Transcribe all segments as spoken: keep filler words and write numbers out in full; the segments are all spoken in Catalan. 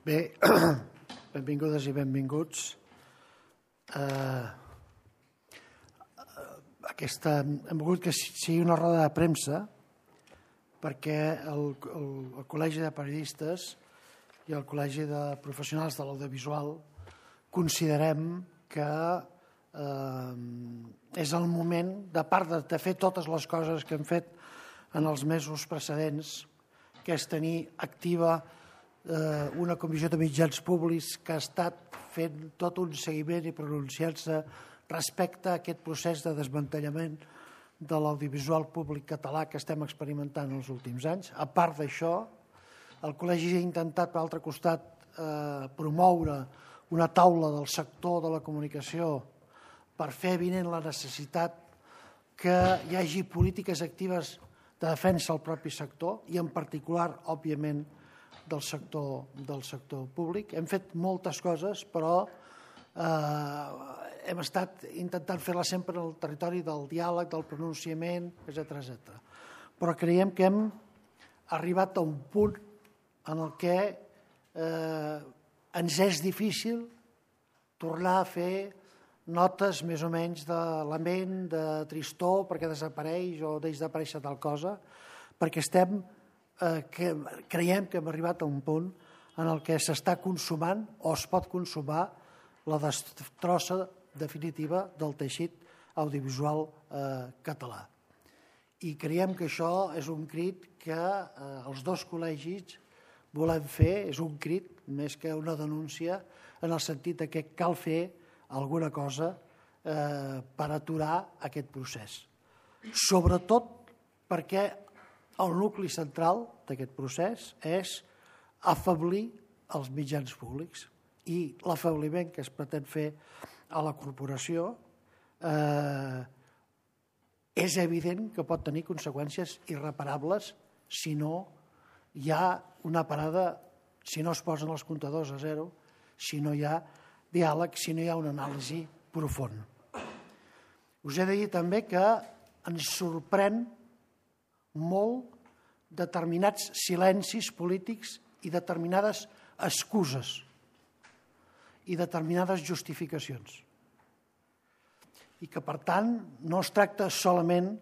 Bé, benvingudes i benvinguts. Eh, aquesta, hem volgut que sigui una roda de premsa perquè el, el, el Col·legi de Periodistes i el Col·legi de Professionals de l'Audiovisual considerem que eh, és el moment, de part de, de fer totes les coses que hem fet en els mesos precedents, que és tenir activa eh, una comissió de mitjans públics que ha estat fent tot un seguiment i pronunciant-se respecte a aquest procés de desmantellament de l'audiovisual públic català que estem experimentant els últims anys. A part d'això, el Col·legi ha intentat, per altre costat, eh, promoure una taula del sector de la comunicació per fer evident la necessitat que hi hagi polítiques actives de defensa al propi sector i en particular, òbviament, del sector, del sector públic. Hem fet moltes coses, però eh, hem estat intentant fer-la sempre en el territori del diàleg, del pronunciament, etcètera, etcètera. Però creiem que hem arribat a un punt en el que eh, ens és difícil tornar a fer notes més o menys de lament, de tristor, perquè desapareix o deix d'aparèixer tal cosa, perquè estem, eh, que creiem que hem arribat a un punt en el que s'està consumant o es pot consumar la destrossa definitiva del teixit audiovisual eh, català. I creiem que això és un crit que eh, els dos col·legis volem fer, és un crit més que una denúncia, en el sentit que cal fer alguna cosa eh, per aturar aquest procés. Sobretot perquè el nucli central d'aquest procés és afeblir els mitjans públics i l'afabliment que es pretén fer a la corporació eh, és evident que pot tenir conseqüències irreparables si no hi ha una parada, si no es posen els comptadors a zero, si no hi ha diàleg, si no hi ha una anàlisi profunda. Us he de dir també que ens sorprèn molt determinats silencis polítics i determinades excuses i determinades justificacions. I que, per tant, no es tracta solament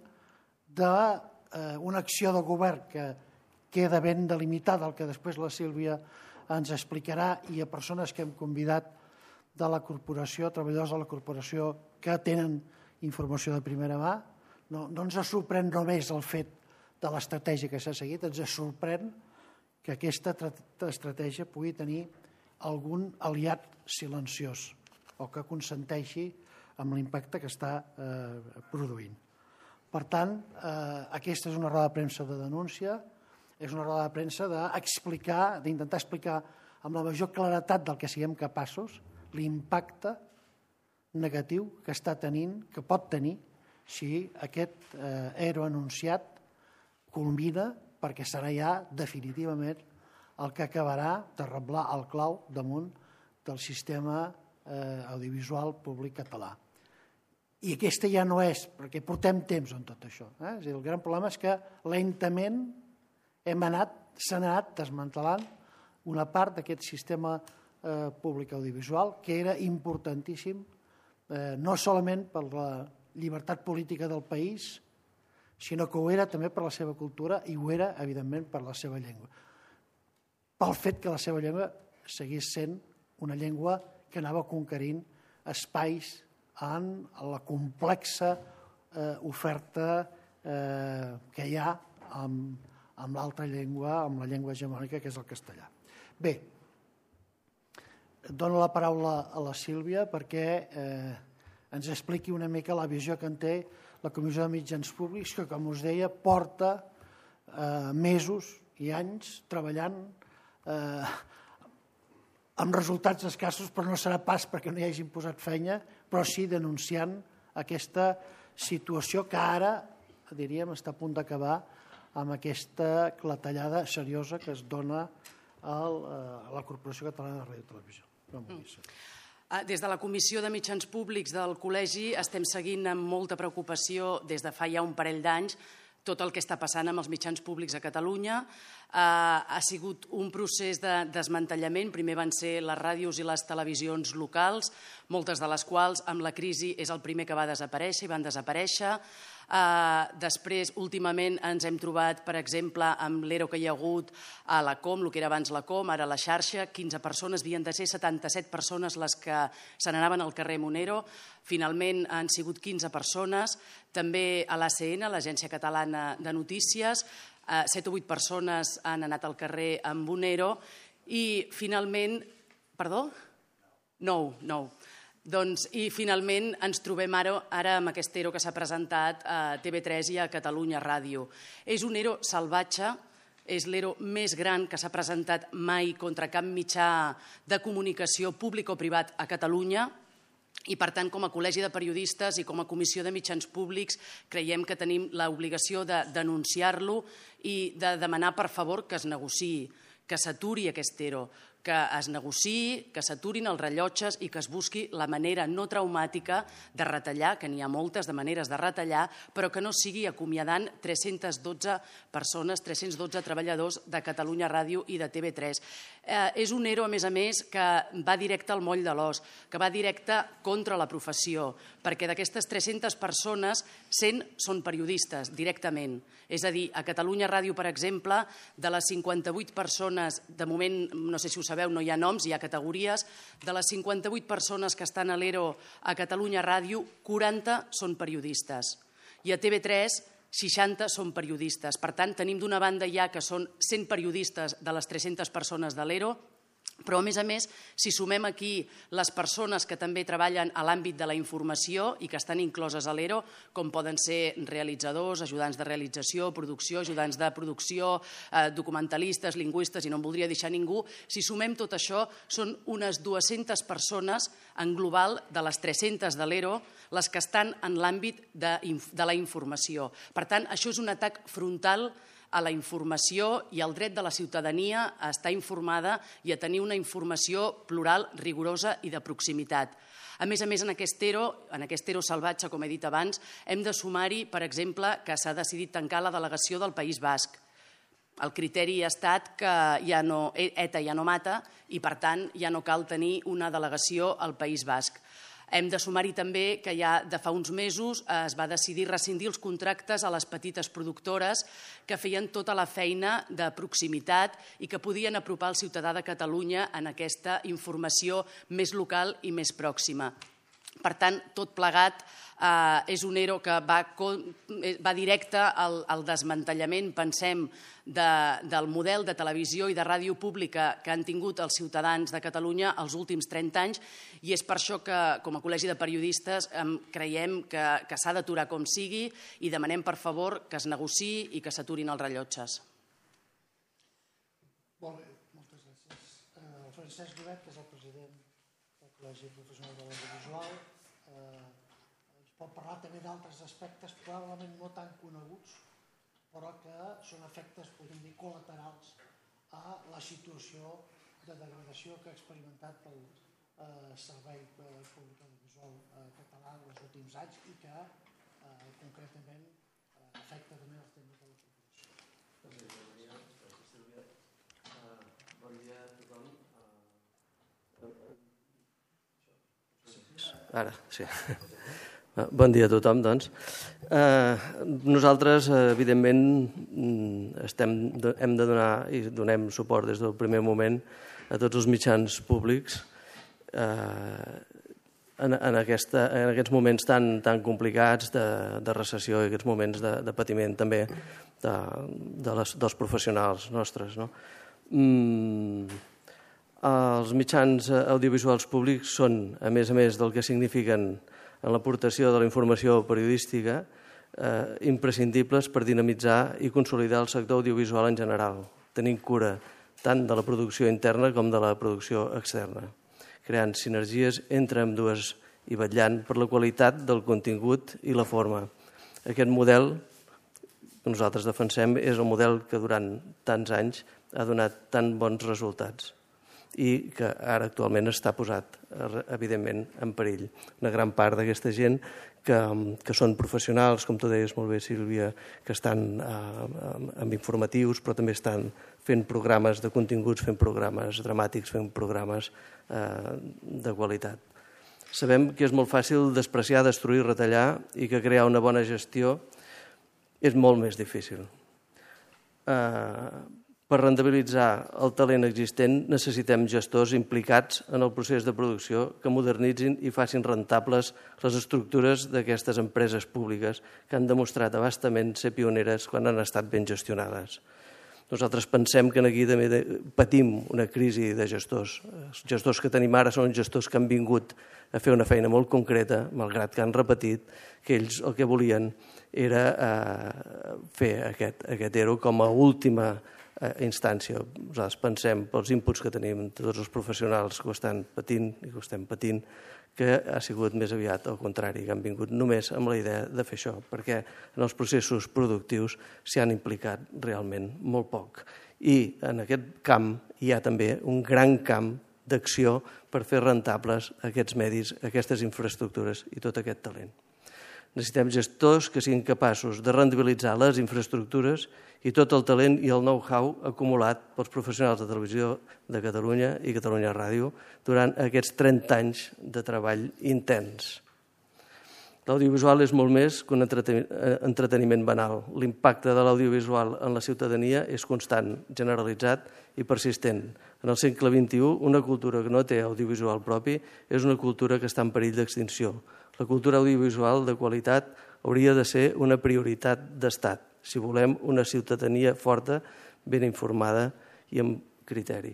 d'una acció de govern que queda ben delimitada, el que després la Sílvia ens explicarà, i a persones que hem convidat de la corporació, treballadors de la corporació que tenen informació de primera mà. No, no ens sorprèn només el fet de l'estratègia que s'ha seguit, ens sorprèn que aquesta estratègia pugui tenir algun aliat silenciós o que consenteixi amb l'impacte que està eh, produint. Per tant, eh, aquesta és una roda de premsa de denúncia, és una roda de premsa d'explicar, d'intentar explicar amb la major claretat del que siguem capaços l'impacte negatiu que està tenint, que pot tenir, si aquest eh, ero anunciat culmina, perquè serà ja definitivament el que acabarà de reblar el clau damunt del sistema eh, audiovisual públic català. I aquesta ja no és, perquè portem temps en tot això. Eh? És a dir, el gran problema és que lentament hem anat, s'ha anat desmantelant una part d'aquest sistema Eh, públic audiovisual, que era importantíssim, eh, no solament per la llibertat política del país, sinó que ho era també per la seva cultura i ho era, evidentment, per la seva llengua. Pel fet que la seva llengua seguís sent una llengua que anava conquerint espais en la complexa eh, oferta eh, que hi ha amb, amb l'altra llengua, amb la llengua hegemònica, que és el castellà. Bé, dono la paraula a la Sílvia perquè eh, ens expliqui una mica la visió que en té la Comissió de Mitjans Públics, que, com us deia, porta eh, mesos i anys treballant eh, amb resultats escassos, però no serà pas perquè no hi hagin posat feina, però sí denunciant aquesta situació que ara, diríem, està a punt d'acabar amb aquesta clatellada seriosa que es dona a la Corporació Catalana de Ràdio i Televisió. Des de la Comissió de Mitjans Públics del Col·legi estem seguint amb molta preocupació des de fa ja un parell d'anys tot el que està passant amb els mitjans públics a Catalunya. Ha sigut un procés de desmantellament. Primer van ser les ràdios i les televisions locals, moltes de les quals amb la crisi és el primer que va desaparèixer i van desaparèixer. Després, últimament, ens hem trobat, per exemple, amb l'E R O que hi ha hagut a la Com, el que era abans la Com, ara la xarxa, quinze persones, havien de ser setanta-set persones les que se n'anaven al carrer Monero. Finalment han sigut quinze persones. També a l'A C N, l'Agència Catalana de Notícies, set o vuit persones han anat al carrer amb Monero i finalment... Perdó? Nou, nou. Doncs, i finalment ens trobem ara, ara amb aquest E R O que s'ha presentat a T V tres i a Catalunya Ràdio. És un E R O salvatge, és l'E R O més gran que s'ha presentat mai contra cap mitjà de comunicació públic o privat a Catalunya. I, per tant, com a Col·legi de Periodistes i com a Comissió de Mitjans Públics creiem que tenim l'obligació de denunciar-lo i de demanar, per favor, que es negociï, que s'aturi aquest E R O, que es negociï, que s'aturin els rellotges i que es busqui la manera no traumàtica de retallar, que n'hi ha moltes de maneres de retallar, però que no sigui acomiadant tres-centes dotze persones, tres-cents dotze treballadors de Catalunya Ràdio i de T V tres. És un E R O, a més a més, que va directe al moll de l'os, que va directe contra la professió, perquè d'aquestes tres-centes persones, cent són periodistes, directament. És a dir, a Catalunya Ràdio, per exemple, de les cinquanta-vuit persones, de moment, no sé si ho sabeu, no hi ha noms, hi ha categories, de les cinquanta-vuit persones que estan a l'E R O a Catalunya Ràdio, quaranta són periodistes. I a T V tres, seixanta són periodistes. Per tant, tenim d'una banda ja que són cent periodistes de les tres-centes persones de l'E R O, però, a més a més, si sumem aquí les persones que també treballen a l'àmbit de la informació i que estan incloses a l'E R O, com poden ser realitzadors, ajudants de realització, producció, ajudants de producció, documentalistes, lingüistes, i no en voldria deixar ningú, si sumem tot això, són unes dues-centes persones en global de les tres-centes de l'E R O les que estan en l'àmbit de la informació. Per tant, això és un atac frontal a la informació i al dret de la ciutadania a estar informada i a tenir una informació plural, rigorosa i de proximitat. A més a més, en aquest E R O, en aquest E R O salvatge, com he dit abans, hem de sumar-hi, per exemple, que s'ha decidit tancar la delegació del País Basc. El criteri ha estat que ja no, ETA ja no mata i, per tant, ja no cal tenir una delegació al País Basc. Hem de sumar-hi també que ja de fa uns mesos es va decidir rescindir els contractes a les petites productores que feien tota la feina de proximitat i que podien apropar el ciutadà de Catalunya en aquesta informació més local i més pròxima. Per tant, tot plegat és un E R O que va directe al desmantellament, pensem, del model de televisió i de ràdio pública que han tingut els ciutadans de Catalunya els últims trenta anys, i és per això que, com a Col·legi de Periodistes, creiem que s'ha d'aturar com sigui i demanem, per favor, que es negociï i que s'aturin els rellotges. Molt bé, moltes gràcies. El Francesc Llobet, que és el president del Col·legi Professional de l'Audiovisual, ens pot parlar també d'altres aspectes probablement no tan coneguts, però que són efectes, podem dir, col·laterals a la situació de degradació que ha experimentat el Servei Públic Audiovisual Català en els últims anys i que concretament afecta també els temes de la corporació. Bon dia a tothom. Ara, sí. Bon dia a tothom, doncs. Nosaltres, evidentment, hem de donar i donem suport des del primer moment a tots els mitjans públics en aquests moments tan complicats de recessió i aquests moments de patiment també dels professionals nostres. Els mitjans audiovisuals públics són, a més a més del que signifiquen en l'aportació de la informació periodística, imprescindibles per dinamitzar i consolidar el sector audiovisual en general, tenint cura tant de la producció interna com de la producció externa, creant sinergies entre ambdues i vetllant per la qualitat del contingut i la forma. Aquest model que nosaltres defensem és el model que durant tants anys ha donat tan bons resultats i que ara actualment està posat, evidentment, en perill. Una gran part d'aquesta gent que, que són professionals, com tu deies molt bé, Sílvia, que estan eh, amb informatius, però també estan fent programes de continguts, fent programes dramàtics, fent programes eh, de qualitat. Sabem que és molt fàcil despreciar, destruir, retallar i que crear una bona gestió és molt més difícil. Eh, per rendibilitzar el talent existent necessitem gestors implicats en el procés de producció que modernitzin i facin rentables les estructures d'aquestes empreses públiques que han demostrat abastament ser pioneres quan han estat ben gestionades. Nosaltres pensem que aquí també patim una crisi de gestors. Els gestors que tenim ara són gestors que han vingut a fer una feina molt concreta, malgrat que han repetit que ells el que volien era eh, fer aquest, aquest E R O com a última eh, instància. Nosaltres pensem, pels inputs que tenim de tots els professionals que ho estan patint i que ho estem patint, que ha sigut més aviat al contrari, que han vingut només amb la idea de fer això, perquè en els processos productius s'hi han implicat realment molt poc. I en aquest camp hi ha també un gran camp d'acció per fer rentables aquests medis, aquestes infraestructures i tot aquest talent. Necessitem gestors que siguin capaços de rendibilitzar les infraestructures i tot el talent i el know-how acumulat pels professionals de Televisió de Catalunya i Catalunya Ràdio durant aquests trenta anys de treball intens. L'audiovisual és molt més que un entreteniment banal. L'impacte de l'audiovisual en la ciutadania és constant, generalitzat i persistent. En el segle vint-i-u, una cultura que no té audiovisual propi és una cultura que està en perill d'extinció. La cultura audiovisual de qualitat hauria de ser una prioritat d'Estat, si volem una ciutadania forta, ben informada i amb criteri.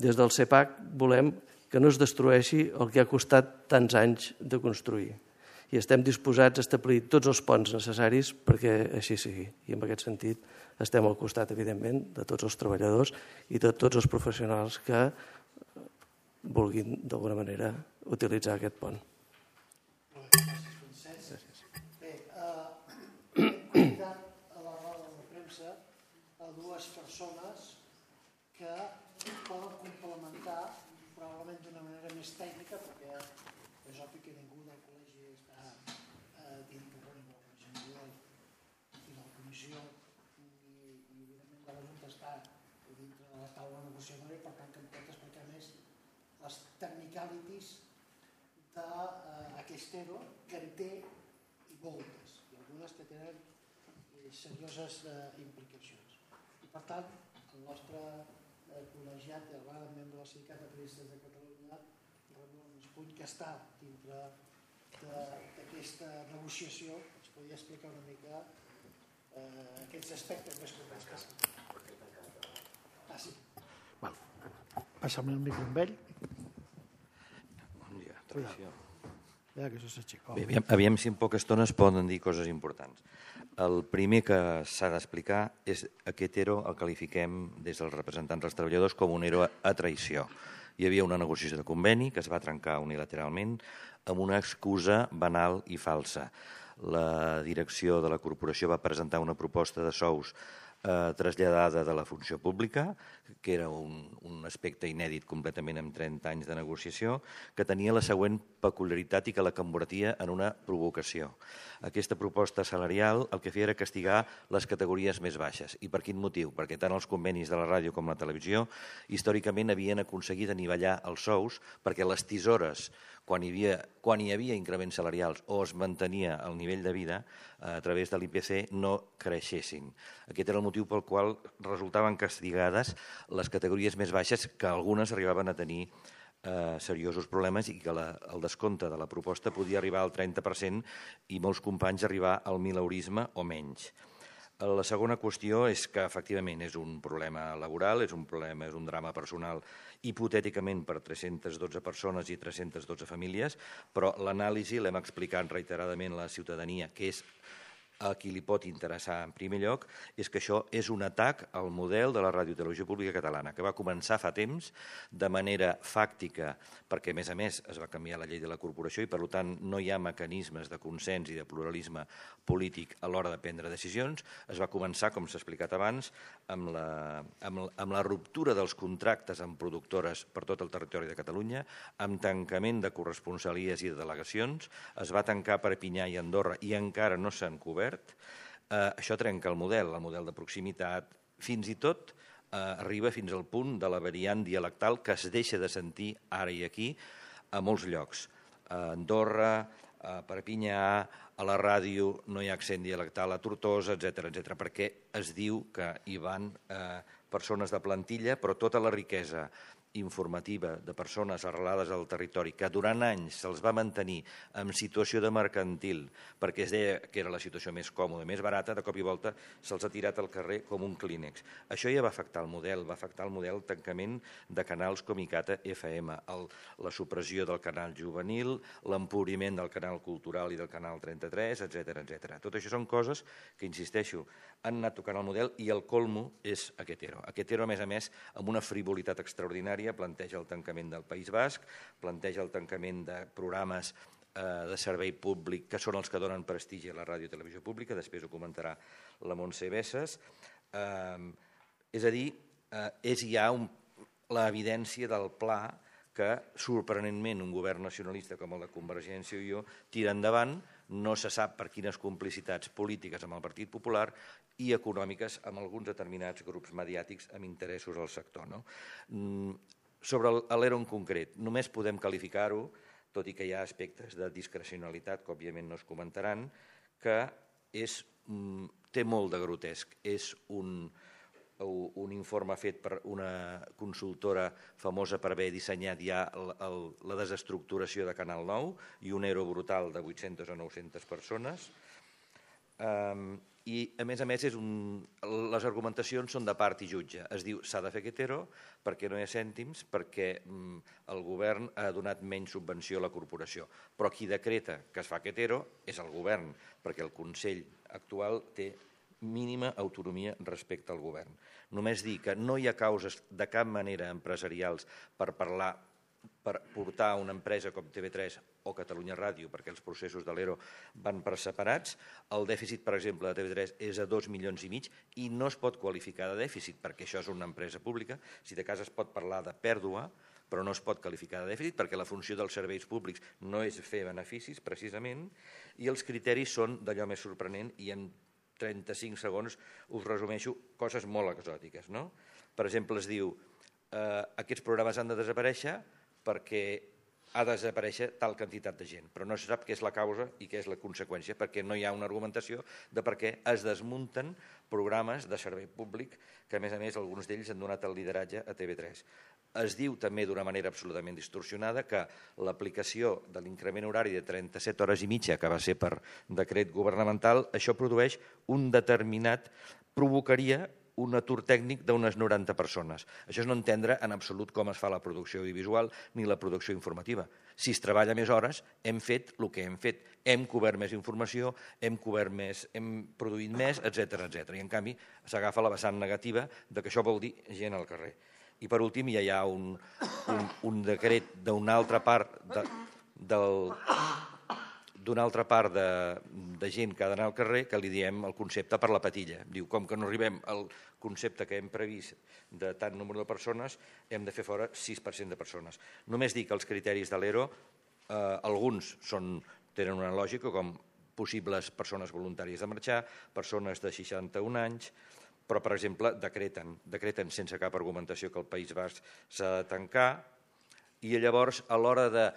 Des del CEPAC volem que no es destrueixi el que ha costat tants anys de construir. I estem disposats a establir tots els ponts necessaris perquè així sigui. I en aquest sentit estem al costat, evidentment, de tots els treballadors i de tots els professionals que vulguin, d'alguna manera, utilitzar aquest pont. Bé, hem convidat a la roda de premsa a dues persones que poden complementar probablement d'una manera més tècnica, perquè és obvi que ningú del col·legi està dintre de la comissió i de la comissió i evidentment de la Junta està dintre de la taula negociadora i per tant que em pot explicar més les technicalities d'aquest E R O que en té i moltes, i algunes que tenen serioses implicacions. I per tant, el nostre col·legiat, el membre del Sindicat de Periodistes de Catalunya, Ramon Espuny, que està dintre d'aquesta negociació, ens podria explicar una mica aquests aspectes més complexos. Ah, sí. Passa'm el micro amb ell. Bon dia, tradició. Ja que això s'aixeca. Bé, aviam si en poca estona es poden dir coses importants. El primer que s'ha d'explicar és aquest E R O el qualifiquem des dels representants dels treballadors com un E R O a traïció. Hi havia una negociació de conveni que es va trencar unilateralment amb una excusa banal i falsa. La direcció de la corporació va presentar una proposta de sous eh, traslladada de la funció pública, que era un, un aspecte inèdit completament en trenta anys de negociació, que tenia la següent peculiaritat i que la convertia en una provocació. Aquesta proposta salarial el que feia era castigar les categories més baixes. I per quin motiu? Perquè tant els convenis de la ràdio com la televisió històricament havien aconseguit anivellar els sous perquè les tisores, quan hi havia, quan hi havia increments salarials o es mantenia el nivell de vida a través de l'I P C, no creixessin. Aquest era el motiu pel qual resultaven castigades les categories més baixes, que algunes arribaven a tenir eh, seriosos problemes i que la, el descompte de la proposta podia arribar al trenta per cent i molts companys arribar al mileurisme o menys. La segona qüestió és que efectivament és un problema laboral, és un problema, és un drama personal hipotèticament per tres-centes dotze persones i tres-centes dotze famílies, però l'anàlisi l'hem explicat reiteradament a la ciutadania, que és a qui li pot interessar en primer lloc, és que això és un atac al model de la Ràdio i Televisió Pública Catalana, que va començar fa temps de manera fàctica, perquè a més a més es va canviar la llei de la corporació i per tant no hi ha mecanismes de consens i de pluralisme polític a l'hora de prendre decisions. Es va començar, com s'ha explicat abans, amb la, amb, amb la ruptura dels contractes amb productores per tot el territori de Catalunya, amb tancament de corresponsalies i de delegacions. Es va tancar Perpinyà i Andorra i encara no s'han cobert. Eh, això trenca el model, el model de proximitat, fins i tot eh, arriba fins al punt de la variant dialectal que es deixa de sentir ara i aquí a molts llocs. A Andorra, a Perpinyà, a la ràdio no hi ha accent dialectal, a Tortosa, etcètera, etcètera, perquè es diu que hi van eh, persones de plantilla, però tota la riquesa informativa de persones arrelades al territori que durant anys se'ls va mantenir en situació de mercantil perquè es deia que era la situació més còmoda, més barata, de cop i volta se'ls ha tirat al carrer com un clínex. Això ja va afectar el model, va afectar el model tancament de canals com ICATA F M, el, la supressió del canal juvenil, l'empobriment del canal cultural i del canal trenta-tres, etcètera, etcètera. Tot això són coses que, insisteixo, han anat tocant el model i el colmo és aquest ERO. Aquest ERO, a més a més, amb una frivolitat extraordinària, planteja el tancament del País Basc, planteja el tancament de programes eh, de servei públic que són els que donen prestigi a la ràdio i televisió pública, després ho comentarà la Montse Bessas. Eh, és a dir, eh, és ja un, l'evidència del pla que, sorprenentment, un govern nacionalista com el de Convergència i Unió tira endavant, no se sap per quines complicitats polítiques amb el Partit Popular i econòmiques amb alguns determinats grups mediàtics amb interessos al sector. No? Sobre l'ERO en concret, només podem qualificar-ho, tot i que hi ha aspectes de discrecionalitat que òbviament no es comentaran, que és, té molt de grotesc. És un, un informe fet per una consultora famosa per haver dissenyat ja el, el, la desestructuració de Canal nou i un ERO brutal de vuit-centes o nou-centes persones. Um, I, a més a més, és un, les argumentacions són de part i jutge. Es diu s'ha de fer aquest ERO perquè no hi ha cèntims, perquè um, el govern ha donat menys subvenció a la corporació. Però qui decreta que es fa aquest ERO és el govern, perquè el Consell actual té mínima autonomia respecte al govern. Només dir que no hi ha causes de cap manera empresarials per parlar, per portar una empresa com T V tres o Catalunya Ràdio, perquè els processos de l'ERO van per separats. El dèficit, per exemple, de T V tres és de dos milions i mig i no es pot qualificar de dèficit perquè això és una empresa pública. Si de cas es pot parlar de pèrdua, però no es pot qualificar de dèficit perquè la funció dels serveis públics no és fer beneficis, precisament, i els criteris són d'allò més sorprenent i en trenta-cinc segons us resumeixo coses molt exòtiques. No? Per exemple, es diu eh, aquests programes han de desaparèixer perquè ha de desaparèixer tal quantitat de gent, però no se sap què és la causa i què és la conseqüència, perquè no hi ha una argumentació de per què es desmunten programes de servei públic que, a més a més, alguns d'ells han donat el lideratge a T V tres. Es diu també d'una manera absolutament distorsionada que l'aplicació de l'increment horari de trenta-set hores i mitja, que va ser per decret governamental, això produeix un determinat, provocaria un atur tècnic d'unes noranta persones. Això és no entendre en absolut com es fa la producció audiovisual ni la producció informativa. Si es treballa més hores, hem fet el que hem fet. Hem cobert més informació, hem cobert més, hem produït més, etcètera, etcètera. I en canvi s'agafa la vessant negativa de que això vol dir gent al carrer. I per últim ja hi ha un, un, un decret d'una altra part de, del... d'una altra part de, de gent que ha d'anar al carrer que li diem el concepte per la patilla. Diu, com que no arribem al concepte que hem previst de tant número de persones, hem de fer fora sis per cent de persones. Només dir que els criteris de l'ERO, eh, alguns són, tenen una lògica, com possibles persones voluntàries de marxar, persones de seixanta-un anys, però, per exemple, decreten, decreten sense cap argumentació que el País Basc s'ha de tancar, i llavors, a l'hora de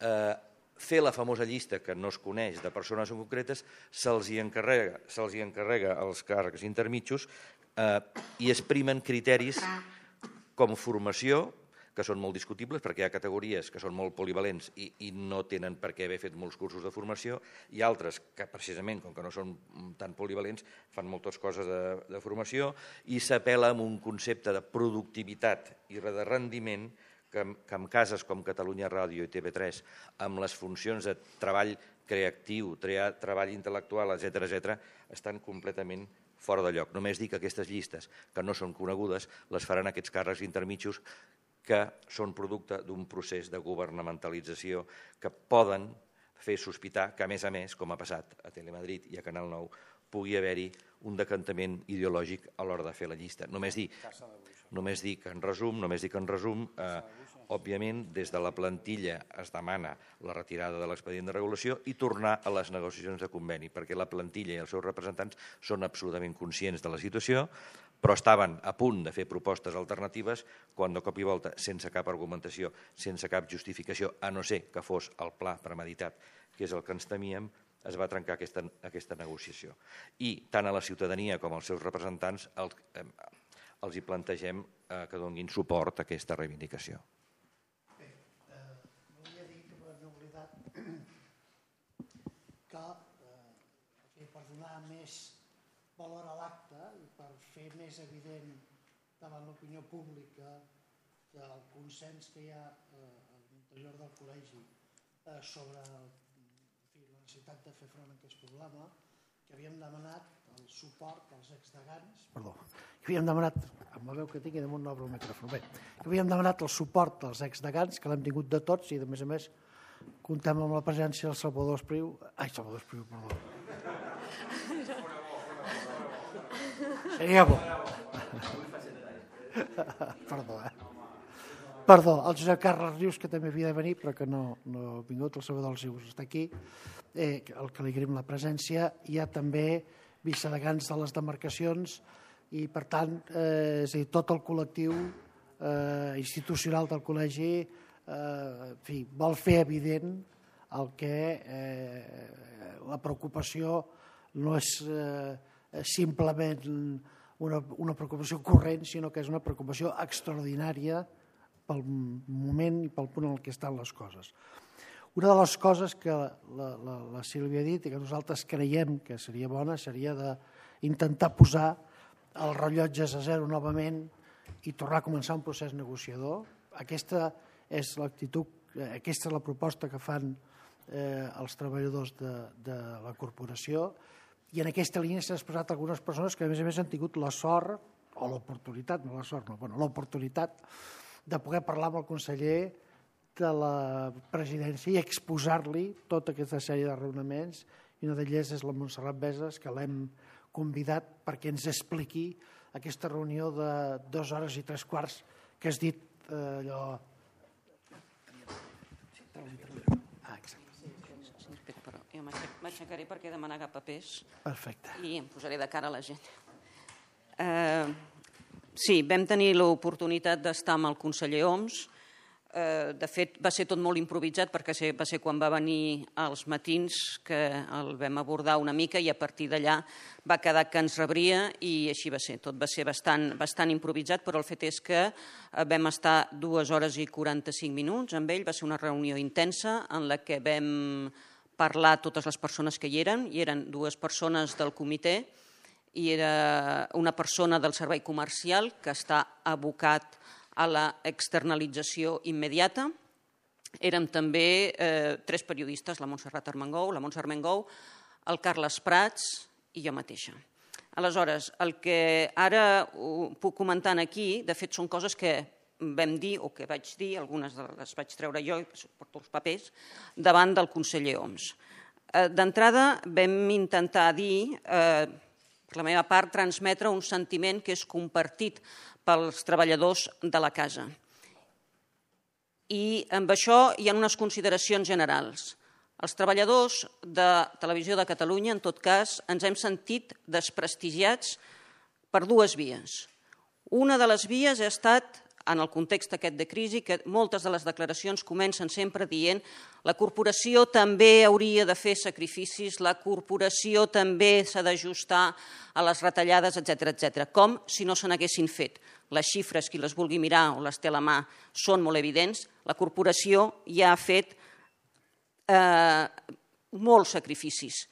eh, fer la famosa llista que no es coneix de persones concretes, se'ls hi encarrega, se'ls hi encarrega els càrrecs intermitjos eh, i es primen criteris com formació, que són molt discutibles perquè hi ha categories que són molt polivalents i, i no tenen per què haver fet molts cursos de formació, i altres que precisament, com que no són tan polivalents, fan moltes coses de, de formació, i s'apel·la amb un concepte de productivitat i de rendiment que, que en cases com Catalunya Ràdio i T V tres, amb les funcions de treball creatiu, treball intel·lectual, etcètera, etcètera, estan completament fora de lloc. Només dic que aquestes llistes, que no són conegudes, les faran aquests càrrecs intermitjos que són producte d'un procés de governamentalització que poden fer sospitar que, a més a més, com ha passat a Telemadrid i a Canal nou, pugui haver-hi un decantament ideològic a l'hora de fer la llista. Només dic, només dic en resum, només dic en resum, eh, òbviament, des de la plantilla es demana la retirada de l'expedient de regulació i tornar a les negociacions de conveni, perquè la plantilla i els seus representants són absolutament conscients de la situació, però estaven a punt de fer propostes alternatives quan de cop i volta, sense cap argumentació, sense cap justificació, a no ser que fos el pla premeditat, que és el que ens temíem, es va trencar aquesta, aquesta negociació. I tant a la ciutadania com als seus representants el, eh, els hi plantegem eh, que donin suport a aquesta reivindicació. Bé, eh, volia dir que m'he oblidat que eh, per donar més valor a l'acte i per fer més evident davant l'opinió pública el consens que hi ha eh, a l'interior del col·legi eh, sobre el la necessitat de fer front a aquest problema, que havíem demanat el suport als exdegans, perdó, que havíem demanat, amb la veu que tinc i damunt no obro el micròfon, bé, que havíem demanat el suport als exdegans, que l'hem tingut de tots i, a més a més, comptem amb la presència del Salvador Espriu, ai, Salvador Espriu, perdó. Seria bo. Perdó, eh? Perdó, el Josep Carles Rius, que també havia de venir, però que no, no ha vingut, el Salvador Rius està aquí, eh, el que li agraïm la presència. Hi ha també vicedegans de les demarcacions i, per tant, eh, és a dir, tot el col·lectiu eh, institucional del col·legi eh, en fi, vol fer evident el que eh, la preocupació no és eh, simplement una, una preocupació corrent, sinó que és una preocupació extraordinària pel moment i pel punt en què estan les coses. Una de les coses que la, la, la Sílvia ha dit i que nosaltres creiem que seria bona seria d'intentar posar els rellotges a zero novament i tornar a començar un procés negociador. Aquesta és l'actitud, aquesta és la proposta que fan eh, els treballadors de, de la corporació i en aquesta línia s'han expressat algunes persones que a més a més han tingut la sort o l'oportunitat, no la sort, no, bueno, l'oportunitat de poder parlar amb el conseller de la presidència i exposar-li tota aquesta sèrie de raonaments i una d'elles és la Montserrat Beses, que l'hem convidat perquè ens expliqui aquesta reunió de dues hores i tres quarts que has dit eh, allò... Ah, exacte. Però jo m'aixecaré perquè he demanat papers. Perfecte. I em posaré de cara a la gent. Eh... Sí, vam tenir l'oportunitat d'estar amb el conseller Homs. De fet, va ser tot molt improvisat perquè va ser quan va venir als matins que el vam abordar una mica i a partir d'allà va quedar que ens rebria i així va ser. Tot va ser bastant, bastant improvisat, però el fet és que vam estar dues hores i quaranta-cinc minuts amb ell. Va ser una reunió intensa en la que vam parlar totes les persones que hi eren. Hi eren dues persones del comitè i era una persona del servei comercial que està abocat a la externalització immediata. Érem també eh, tres periodistes, la Montserrat Armengou, la Montse Armengou, el Carles Prats i jo mateixa. Aleshores, el que ara puc comentar aquí, de fet, són coses que vam dir o que vaig dir, algunes les vaig treure jo i porto els papers, davant del conseller Homs. Eh, D'entrada vam intentar dir... Eh, per la meva part, transmetre un sentiment que és compartit pels treballadors de la casa. I amb això hi ha unes consideracions generals. Els treballadors de Televisió de Catalunya, en tot cas, ens hem sentit desprestigiats per dues vies. Una de les vies ha estat, en el context aquest de crisi, que moltes de les declaracions comencen sempre dient la corporació també hauria de fer sacrificis, la corporació també s'ha d'ajustar a les retallades, etcètera, etcètera, com si no se n'haguessin fet. Les xifres, qui les vulgui mirar o les té a la mà, són molt evidents. La corporació ja ha fet eh, molts sacrificis.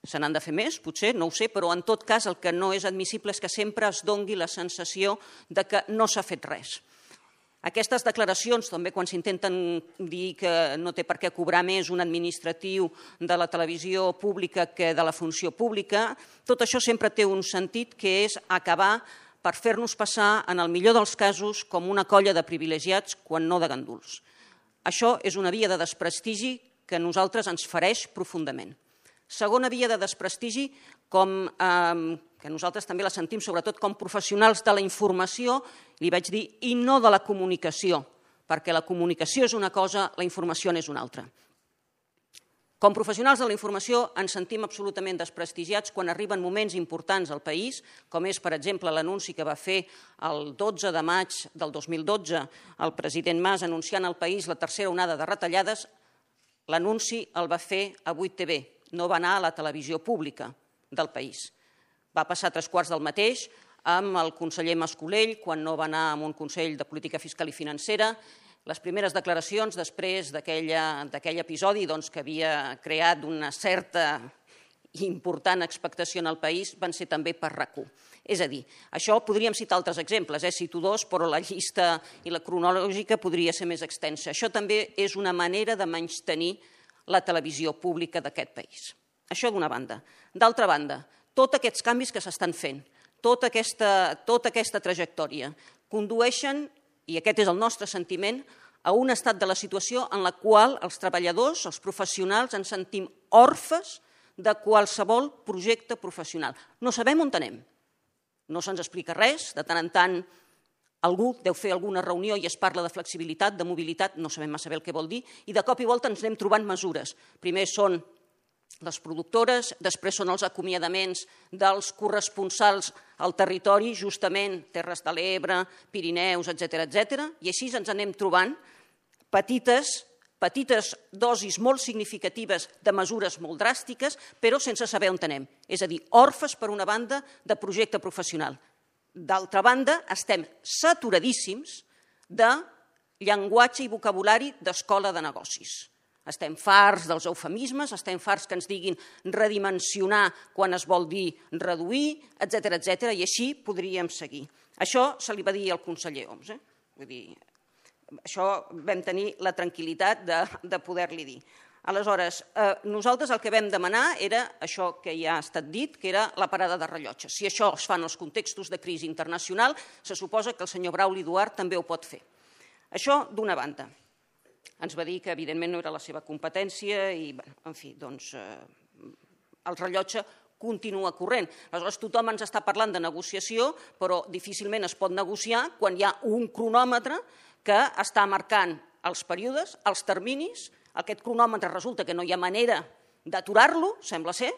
Se n'han de fer més, potser, no ho sé, però en tot cas el que no és admissible és que sempre es dongui la sensació de que no s'ha fet res. Aquestes declaracions, també quan s'intenten dir que no té per què cobrar més un administratiu de la televisió pública que de la funció pública, tot això sempre té un sentit que és acabar per fer-nos passar, en el millor dels casos, com una colla de privilegiats quan no de ganduls. Això és una via de desprestigi que a nosaltres ens fereix profundament. Segona via de desprestigi, com, eh, que nosaltres també la sentim sobretot com professionals de la informació, li vaig dir, i no de la comunicació, perquè la comunicació és una cosa, la informació n'és una altra. Com professionals de la informació ens sentim absolutament desprestigiats quan arriben moments importants al país, com és, per exemple, l'anunci que va fer el dotze de maig del dos mil dotze el president Mas anunciant al país la tercera onada de retallades. L'anunci el va fer a vuit T V, no va anar a la televisió pública del país. Va passar tres quarts del mateix amb el conseller Mas-Colell, quan no va anar a un Consell de Política Fiscal i Financera. Les primeres declaracions després d'aquell episodi que havia creat una certa i important expectació en el país van ser també per RAC u. És a dir, això podríem citar altres exemples, eh? cito dos, però la llista i la cronològica podria ser més extensa. Això també és una manera de menystenir la televisió pública d'aquest país. Això d'una banda. D'altra banda, tots aquests canvis que s'estan fent, tota aquesta, tota aquesta trajectòria, condueixen, i aquest és el nostre sentiment, a un estat de la situació en la qual els treballadors, els professionals, ens sentim orfes de qualsevol projecte professional. No sabem on anem. No se'ns explica res, de tant en tant algú deu fer alguna reunió i es parla de flexibilitat, de mobilitat, no sabem massa bé el que vol dir, i de cop i volta ens anem trobant mesures. Primer són les productores, després són els acomiadaments dels corresponsals al territori, justament Terres de l'Ebre, Pirineus, etcètera, etcètera, i així ens anem trobant petites petites dosis molt significatives de mesures molt dràstiques, però sense saber on anem. És a dir, orfes, per una banda, de projecte professional. D'altra banda, estem saturadíssims de llenguatge i vocabulari d'escola de negocis. Estem farts dels eufemismes, estem farts que ens diguin redimensionar quan es vol dir reduir, etcètera, etcètera, i així podríem seguir. Això se li va dir al conseller Homs. Eh? Vull dir, això vam tenir la tranquil·litat de, de poder-li dir. Aleshores, eh, nosaltres el que vam demanar era això que ja ha estat dit, que era la parada de rellotges. Si això es fa en els contextos de crisi internacional, se suposa que el senyor Brauli Duart també ho pot fer. Això d'una banda. Ens va dir que evidentment no era la seva competència i, en fi, doncs, eh, el rellotge continua corrent. Aleshores, tothom ens està parlant de negociació, però difícilment es pot negociar quan hi ha un cronòmetre que està marcant els períodes, els terminis. Aquest cronòmetre resulta que no hi ha manera d'aturar-lo, sembla ser,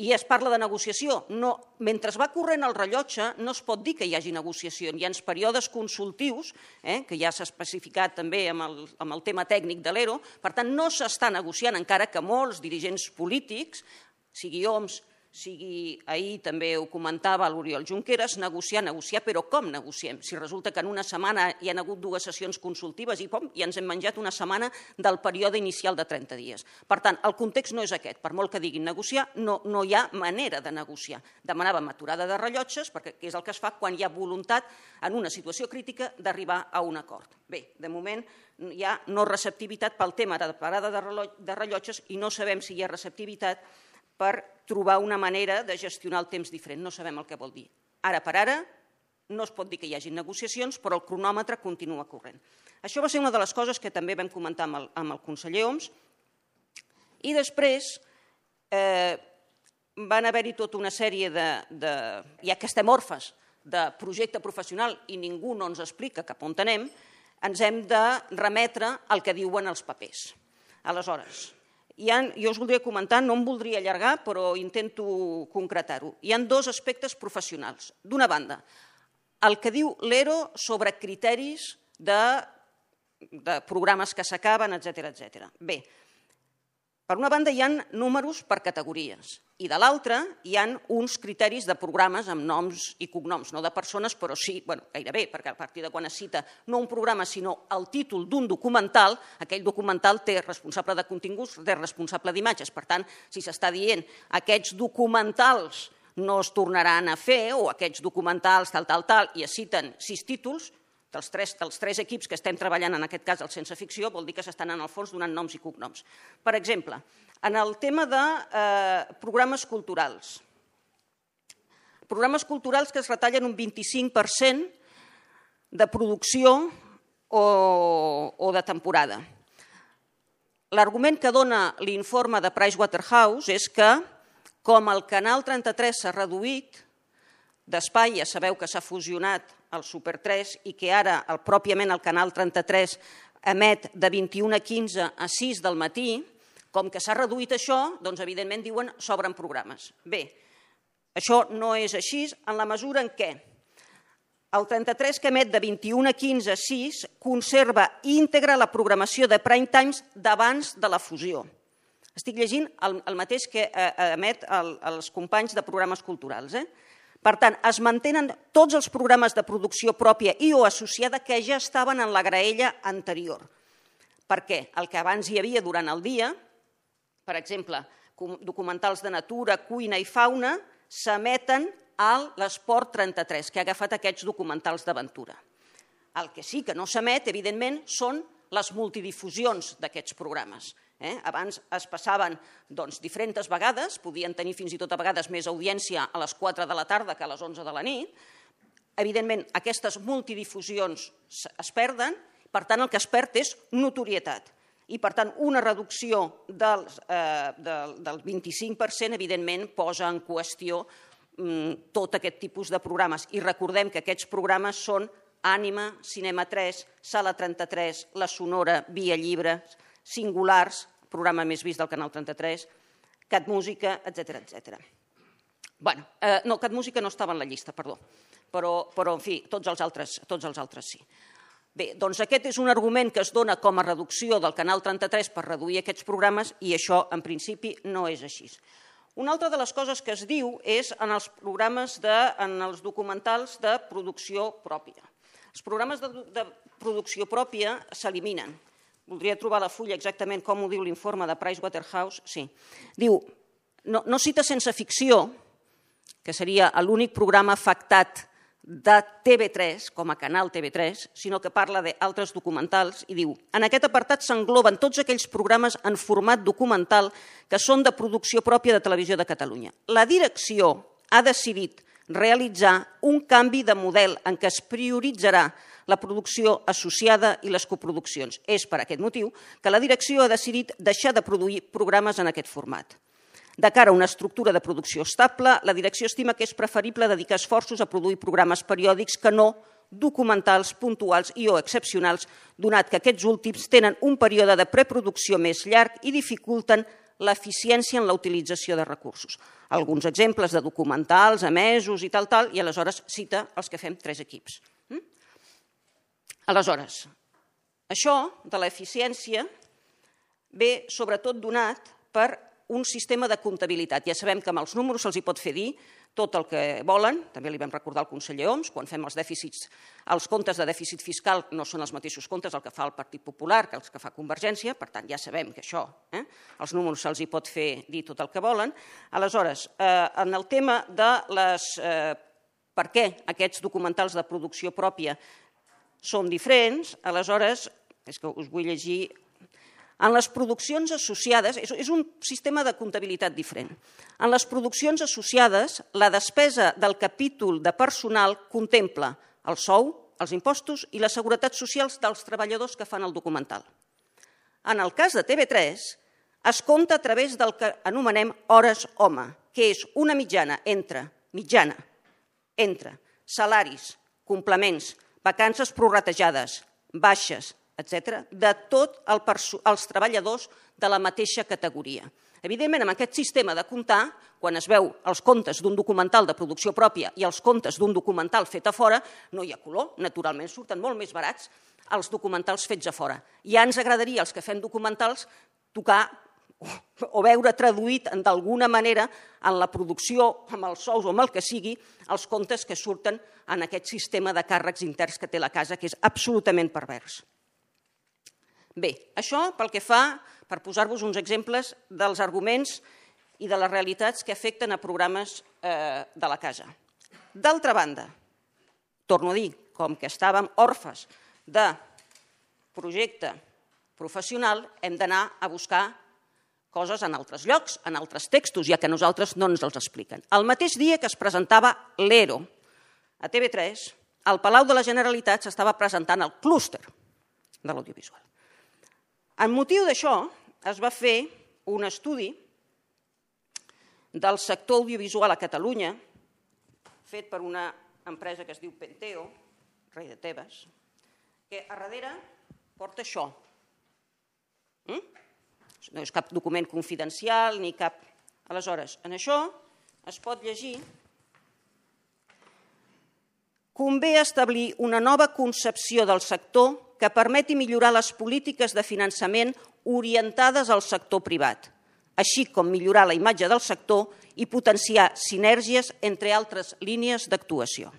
i es parla de negociació. No, mentre va corrent el rellotge no es pot dir que hi hagi negociació. Hi ha períodes consultius, eh, que ja s'ha especificat també amb el, amb el tema tècnic de l'E R O, per tant no s'està negociant, encara que molts dirigents polítics, sigui Homs, sigui ahir també ho comentava l'Oriol Junqueras, negociar, negociar, però com negociem? Si resulta que en una setmana hi ha hagut dues sessions consultives i, pom, i ens hem menjat una setmana del període inicial de trenta dies. Per tant, el context no és aquest. Per molt que diguin negociar, no, no hi ha manera de negociar. Demanàvem aturada de rellotges, perquè és el que es fa quan hi ha voluntat, en una situació crítica, d'arribar a un acord. Bé, de moment hi ha no receptivitat pel tema de parada de rellotges i no sabem si hi ha receptivitat per trobar una manera de gestionar el temps diferent. No sabem el que vol dir. Ara per ara no es pot dir que hi hagi negociacions, però el cronòmetre continua corrent. Això va ser una de les coses que també vam comentar amb el, amb el conseller Homs. I després eh, van haver-hi tota una sèrie de, de... ja que estem orfes de projecte professional i ningú no ens explica cap on anem, ens hem de remetre al que diuen els papers. Aleshores, hi ha, jo us voldria comentar, no em voldria allargar, però intento concretar-ho. Hi ha dos aspectes professionals. D'una banda, el que diu l'E R O sobre criteris de, de programes que s'acaben, etcètera, etcètera. Bé, per una banda hi ha números per categories i de l'altra hi ha uns criteris de programes amb noms i cognoms, no de persones, però sí, bueno, gairebé, perquè a partir de quan es cita no un programa sinó el títol d'un documental, aquell documental té responsable de continguts, té responsable d'imatges. Per tant, si s'està dient aquests documentals no es tornaran a fer o aquests documentals tal, tal, tal, i es citen sis títols, dels tres, dels tres equips que estem treballant, en aquest cas el Sense Ficció, vol dir que s'estan en el fons donant noms i cognoms. Per exemple, en el tema de eh, programes culturals. Programes culturals que es retallen un vint-i-cinc per cent de producció o, o de temporada. L'argument que dona l'informe de Pricewaterhouse és que, com el Canal trenta-tres s'ha reduït d'espai, ja sabeu que s'ha fusionat el Super tres i que ara el, pròpiament el Canal trenta-tres emet de vint-i-una a quinze a sis del matí, com que s'ha reduït això, doncs evidentment diuen sobren programes. Bé, això no és així en la mesura en què el trenta-tres que emet de vint-i-una a quinze a sis conserva íntegra la programació de prime times d'abans de la fusió. Estic llegint el, el mateix que eh, emet el, els companys de programes culturals. Eh? Per tant, es mantenen tots els programes de producció pròpia i o associada que ja estaven en la graella anterior. Per què? El que abans hi havia durant el dia, per exemple, documentals de natura, cuina i fauna, s'emeten a l'Esport trenta-tres, que ha agafat aquests documentals d'aventura. El que sí que no s'emet, evidentment, són les multidifusions d'aquests programes. Eh? Abans es passaven doncs, diferents vegades, podien tenir fins i tot a vegades més audiència a les quatre de la tarda que a les onze de la nit. Evidentment, aquestes multidifusions es perden, per tant, el que es perd és notorietat. I, per tant, una reducció del, eh, del, del vint-i-cinc per cent, evidentment, posa en qüestió mm, tot aquest tipus de programes. I recordem que aquests programes són Ànima, Cinema tres, Sala trenta-tres, La Sonora, Via Llibres, Singulars, programa més vist del Canal trenta-tres, Cat Música, etcètera, etcètera. Bueno, eh, no, Cat Música no estava en la llista, perdó, però, però en fi, tots els altres, tots els altres sí. Bé, doncs aquest és un argument que es dona com a reducció del Canal trenta-tres per reduir aquests programes i això, en principi, no és així. Una altra de les coses que es diu és en els programes, de, en els documentals de producció pròpia. Els programes de, de producció pròpia s'eliminen. Voldria trobar la fulla exactament com ho diu l'informe de Pricewaterhouse. Sí. Diu, no, no cita Sense Ficció, que seria l'únic programa afectat de T V tres, com a canal T V tres, sinó que parla d'altres documentals i diu en aquest apartat s'engloben tots aquells programes en format documental que són de producció pròpia de Televisió de Catalunya. La direcció ha decidit realitzar un canvi de model en què es prioritzarà la producció associada i les coproduccions. És per aquest motiu que la direcció ha decidit deixar de produir programes en aquest format. De cara a una estructura de producció estable, la direcció estima que és preferible dedicar esforços a produir programes periòdics que no documentals puntuals i o excepcionals, donat que aquests últims tenen un període de preproducció més llarg i dificulten l'eficiència en la utilització de recursos. Alguns exemples de documentals emesos i tal, tal, i aleshores cita els que fem tres equips. Aleshores, això de l'eficiència ve sobretot donat per un sistema de comptabilitat. Ja sabem que amb els números se'ls hi pot fer dir tot el que volen, també li vam recordar al conseller Homs, quan fem els dèficits, els comptes de dèficit fiscal no són els mateixos comptes el que fa el Partit Popular que els que fa Convergència, per tant ja sabem que això, eh, els números se'ls hi pot fer dir tot el que volen. Aleshores, eh, en el tema de les, eh, per què aquests documentals de producció pròpia són diferents, aleshores, és que us vull llegir. En les produccions associades, és un sistema de comptabilitat diferent. En les produccions associades, la despesa del capítol de personal contempla el sou, els impostos i les seguretats socials dels treballadors que fan el documental. En el cas de T V tres, es compta a través del que anomenem hores home, que és una mitjana entre, mitjana, entre salaris, complements, vacances prorratejades, baixes, etcètera, de tots el els treballadors de la mateixa categoria. Evidentment, amb aquest sistema de comptar, quan es veu els comptes d'un documental de producció pròpia i els comptes d'un documental fet a fora, no hi ha color, naturalment surten molt més barats els documentals fets a fora. Ja ens agradaria, als que fem documentals, tocar o veure traduït d'alguna manera en la producció, amb els sous o amb el que sigui, els comptes que surten en aquest sistema de càrrecs interns que té la casa, que és absolutament pervers. Bé, això pel que fa, per posar-vos uns exemples dels arguments i de les realitats que afecten a programes de la casa. D'altra banda, torno a dir, com que estàvem orfes de projecte professional, hem d'anar a buscar coses en altres llocs, en altres textos, ja que a nosaltres no ens els expliquen. El mateix dia que es presentava l'ERO a T V tres, al Palau de la Generalitat s'estava presentant el clúster de l'audiovisual. En motiu d'això es va fer un estudi del sector audiovisual a Catalunya, fet per una empresa que es diu Penteo, rei de Tebes, que a darrere porta això. No és cap document confidencial ni cap... Aleshores, en això es pot llegir: convé establir una nova concepció del sector que permeti millorar les polítiques de finançament orientades al sector privat, així com millorar la imatge del sector i potenciar sinergies entre altres línies d'actuació.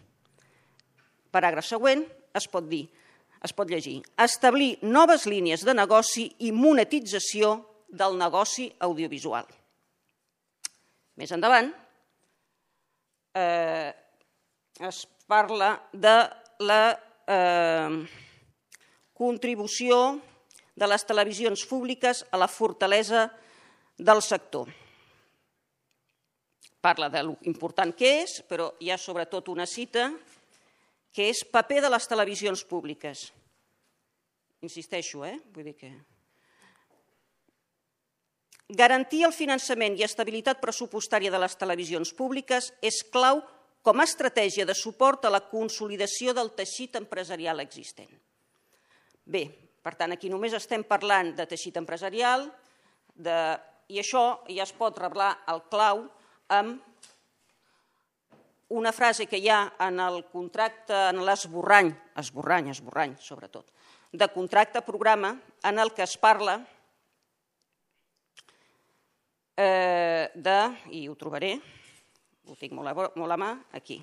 Paràgraf següent, es pot dir, es pot llegir: establir noves línies de negoci i monetització del negoci audiovisual. Més endavant, eh, es parla de la eh, contribució de les televisions públiques a la fortalesa del sector. Parla de l'important que és, però hi ha sobretot una cita que és paper de les televisions públiques. Insisteixo, eh? Vull dir que... Garantir el finançament i estabilitat pressupostària de les televisions públiques és clau com a estratègia de suport a la consolidació del teixit empresarial existent. Bé, per tant, aquí només estem parlant de teixit empresarial de... i això ja es pot reblar el clau amb una frase que hi ha en el contracte, en l'esborrany, esborrany, esborrany, sobretot, de contracte programa, en el que es parla eh, de, i ho trobaré, ho tinc molt a, molt a mà, aquí.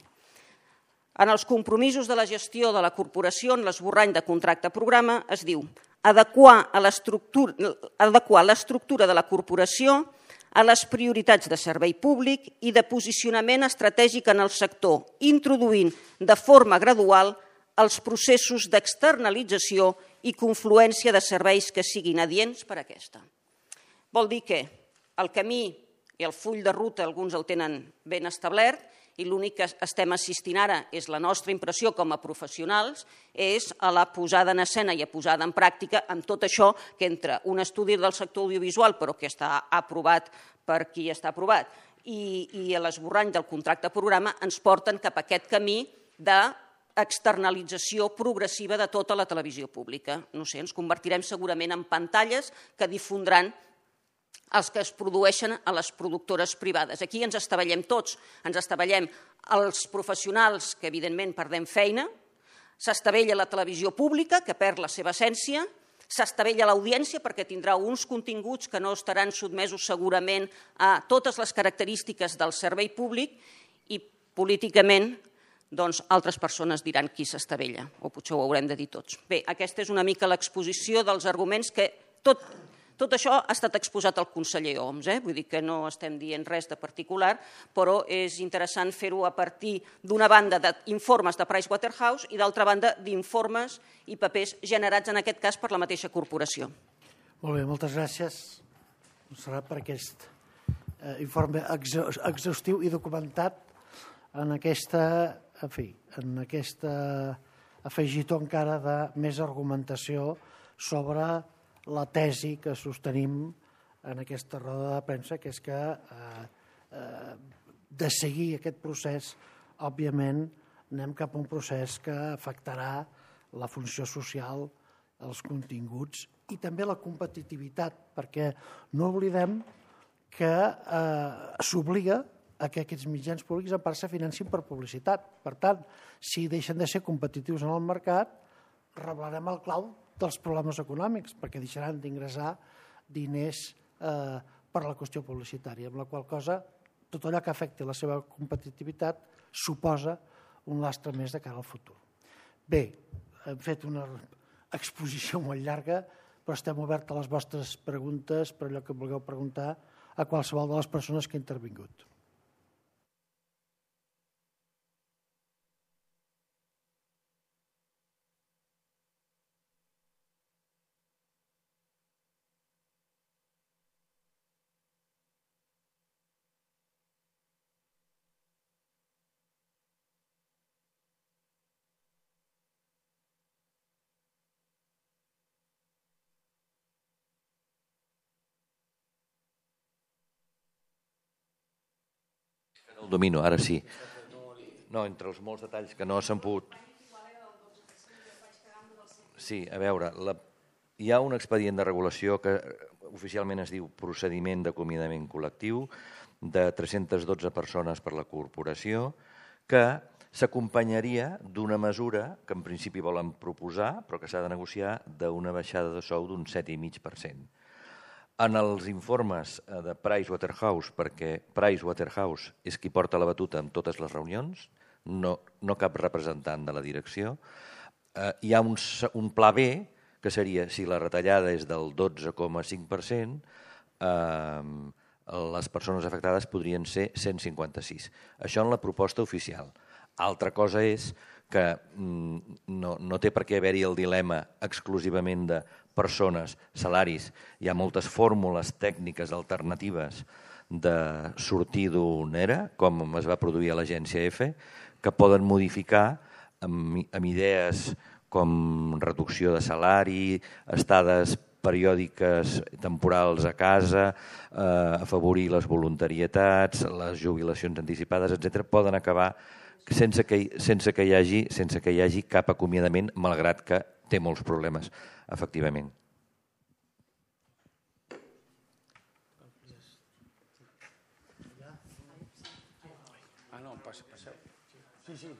En els compromisos de la gestió de la corporació, en l'esborrany de contracte programa, es diu adequar l'estructura de la corporació a les prioritats de servei públic i de posicionament estratègic en el sector, introduint de forma gradual els processos d'externalització i confluència de serveis que siguin adients per a aquesta. Vol dir que el camí i el full de ruta alguns el tenen ben establert i l'únic que estem assistint ara és la nostra impressió com a professionals, és a la posada en escena i a posada en pràctica amb tot això que entre un estudi del sector audiovisual, però que està aprovat per qui està aprovat, i, i l'esborrany del contracte programa ens porten cap a aquest camí d'externalització progressiva de tota la televisió pública. No sé, ens convertirem segurament en pantalles que difondran els que es produeixen a les productores privades. Aquí ens estavellem tots, ens estavellem els professionals que evidentment perdem feina, s'estavella la televisió pública que perd la seva essència, s'estavella l'audiència perquè tindrà uns continguts que no estaran sotmesos segurament a totes les característiques del servei públic i políticament doncs altres persones diran qui s'estavella, o potser ho haurem de dir tots. Bé, aquesta és una mica l'exposició dels arguments que tot... Tot això ha estat exposat al conseller Homs, eh? Vull dir que no estem dient res de particular, però és interessant fer-ho a partir d'una banda d'informes de Pricewaterhouse i d'altra banda d'informes i papers generats en aquest cas per la mateixa corporació. Molt bé, moltes gràcies, Montserrat, per aquest eh, informe exhaustiu i documentat en aquesta, en fi, en aquesta afegitó encara de més argumentació sobre la tesi que sostenim en aquesta roda de premsa, que és que eh, eh, de seguir aquest procés, òbviament, anem cap a un procés que afectarà la funció social, els continguts i també la competitivitat, perquè no oblidem que eh, s'obliga a que aquests mitjans públics en part se financin per publicitat. Per tant, si deixen de ser competitius en el mercat, reblarem el clau dels problemes econòmics, perquè deixaran d'ingressar diners eh, per la qüestió publicitària, amb la qual cosa tot allò que afecti la seva competitivitat suposa un lastre més de cara al futur. Bé, hem fet una exposició molt llarga, però estem oberts a les vostres preguntes per allò que vulgueu preguntar a qualsevol de les persones que ha intervingut. domino, ara sí. No, entre els molts detalls que no s'han pogut... Sí, a veure, la... hi ha un expedient de regulació que oficialment es diu procediment d'acomiadament col·lectiu de tres-centes dotze persones per la corporació que s'acompanyaria d'una mesura que en principi volen proposar però que s'ha de negociar d'una baixada de sou d'un set coma cinc per cent. En els informes de Pricewaterhouse, perquè Pricewaterhouse és qui porta la batuta en totes les reunions, no, no cap representant de la direcció, eh, hi ha un, un pla B, que seria, si la retallada és del dotze coma cinc per cent, eh, les persones afectades podrien ser cent cinquanta-sis. Això en la proposta oficial. Altra cosa és que mm, no, no té per què haver-hi el dilema exclusivament de persones, salaris. Hi ha moltes fórmules tècniques alternatives de sortir d'un E R A, com es va produir a l'agència F, que poden modificar amb, amb idees com reducció de salari, estades periòdiques temporals a casa, eh, afavorir les voluntarietats, les jubilacions anticipades, etcètera, poden acabar sense que, sense que hi hagi, sense que hi hagi cap acomiadament, malgrat que té molts problemes, efectivament. Ah, no, passeu. Sí, sí,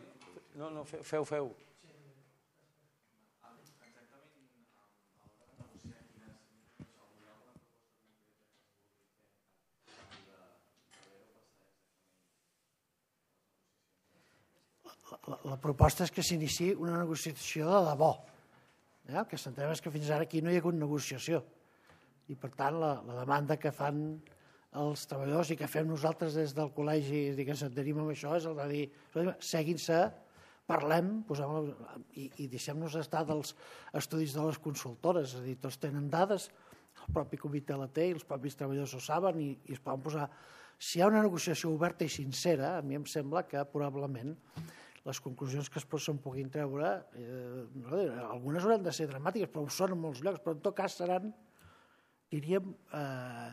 no, no, feu, feu. La, la proposta és que s'iniciï una negociació de debò. Eh? El que s'entén és que fins ara aquí no hi ha hagut negociació. I, per tant, la, la demanda que fan els treballadors i que fem nosaltres des del col·legi i que s'adherim amb això és el de dir seguin-se, parlem posem, i, i deixem-nos estar dels estudis de les consultores. És a dir, tots tenen dades, el propi comitè la té i els propis treballadors ho saben i, i es poden posar... Si hi ha una negociació oberta i sincera, a mi em sembla que probablement les conclusions que es se'n puguin treure, eh, no, algunes hauran de ser dramàtiques, però ho són en molts llocs, però en tot cas seran, diríem, eh,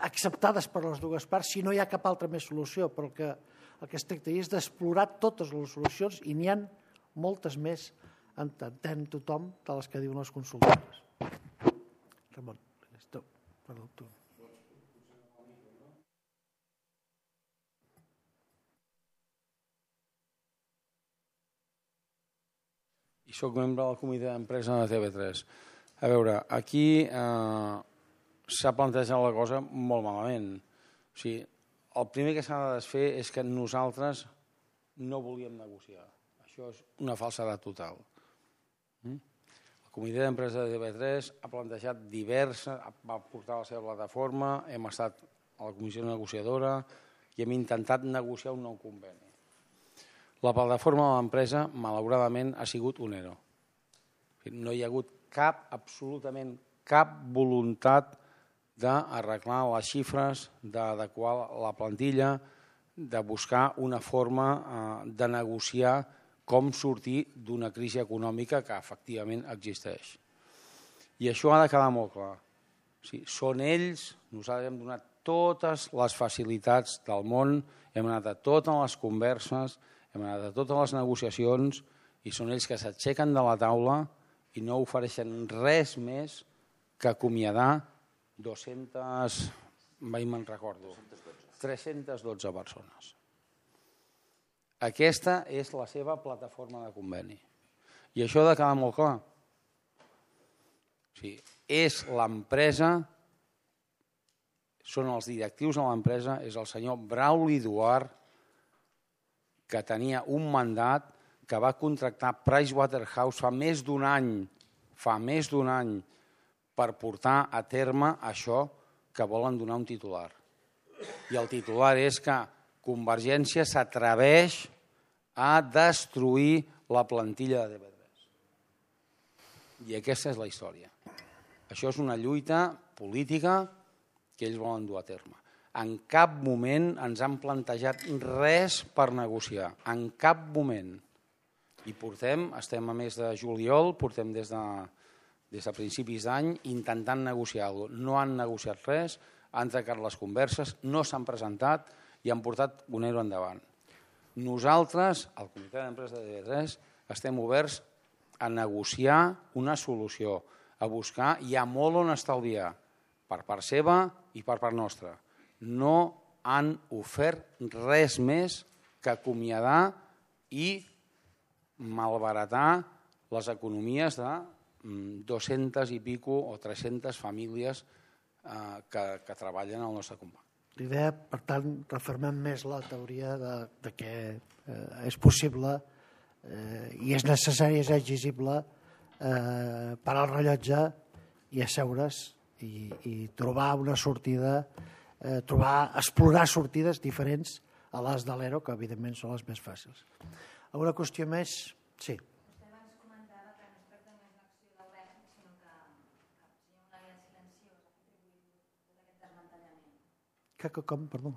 acceptades per les dues parts si no hi ha cap altra més solució, però el que, el que es tracta és d'explorar totes les solucions i n'hi ha moltes més, entén tothom, de les que diuen les consultores. Ramon, perdó, tu. I soc membre del comitè d'empresa de T V tres. A veure, aquí eh, s'ha plantejat la cosa molt malament. O sigui, el primer que s'ha de desfer és que nosaltres no volíem negociar. Això és una falsedat total. El comitè d'empresa de T V tres ha plantejat diverses, va portar la seva plataforma, hem estat a la comissió negociadora i hem intentat negociar un nou conveni. La plataforma de l'empresa, malauradament, ha sigut un ero. No hi ha hagut cap, absolutament cap voluntat d'arreglar les xifres, d'adequar la plantilla, de buscar una forma de negociar com sortir d'una crisi econòmica que efectivament existeix. I això ha de quedar molt clar. O sigui, són ells, nosaltres hem donat totes les facilitats del món, hem anat a totes les converses, hem anat a totes les negociacions i són ells que s'aixequen de la taula i no ofereixen res més que acomiadar dues-centes, mai me'n recordo, tres-centes dotze persones. Aquesta és la seva plataforma de conveni. I això ha de quedar molt clar. O sigui, és l'empresa, són els directius de l'empresa, és el senyor Brauli Duart, que tenia un mandat que va contractar Pricewaterhouse fa més d'un any, fa més d'un any, per portar a terme això que volen donar un titular. I el titular és que Convergència s'atreveix a destruir la plantilla de T V tres. I aquesta és la història. Això és una lluita política que ells volen dur a terme. En cap moment ens han plantejat res per negociar, en cap moment. I portem, estem a mes de juliol, portem des de, des de principis d'any intentant negociar alguna cosa. No han negociat res, han tancat les converses, no s'han presentat i han portat un euro endavant. Nosaltres, al comitè d'empresa de T V tres, estem oberts a negociar una solució, a buscar, hi ha molt on estalviar, per part seva i per part nostra. No han ofert res més que acomiadar i malbaratar les economies de dues-centes i pico o tres-centes famílies que treballen al nostre company. L'idea, per tant, refermem més la teoria de que és possible i és necessari, és exigible parar el rellotge i asseure's i trobar una sortida, trobar, explorar sortides diferents a les de l'E R O, que evidentment són les més fàcils. Alguna qüestió més? Sí. Vostè abans comentava que no es tracta només d'una acció del govern, sinó que hi ha una via silenciosa que atribuït tot aquest desmantellament. Que, com, perdó?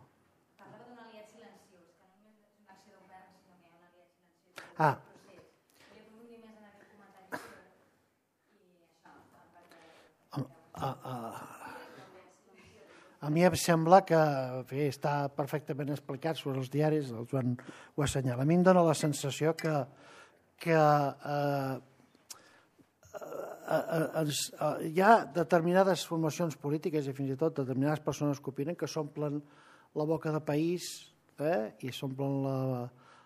Parlava d'un aliat silenciós, que no només és una acció del govern, sinó que hi ha un aliat silenciós. Ah. Volia aprofundir més en aquest comentari seu i això, perquè... A, a, a mi em sembla que bé, està perfectament explicat sobre els diaris, el Joan ho assenyala. A mi em dóna la sensació que, que eh, eh, eh, hi ha determinades formacions polítiques i fins i tot determinades persones que opinen que s'omplen la boca de país eh, i s'omplen la,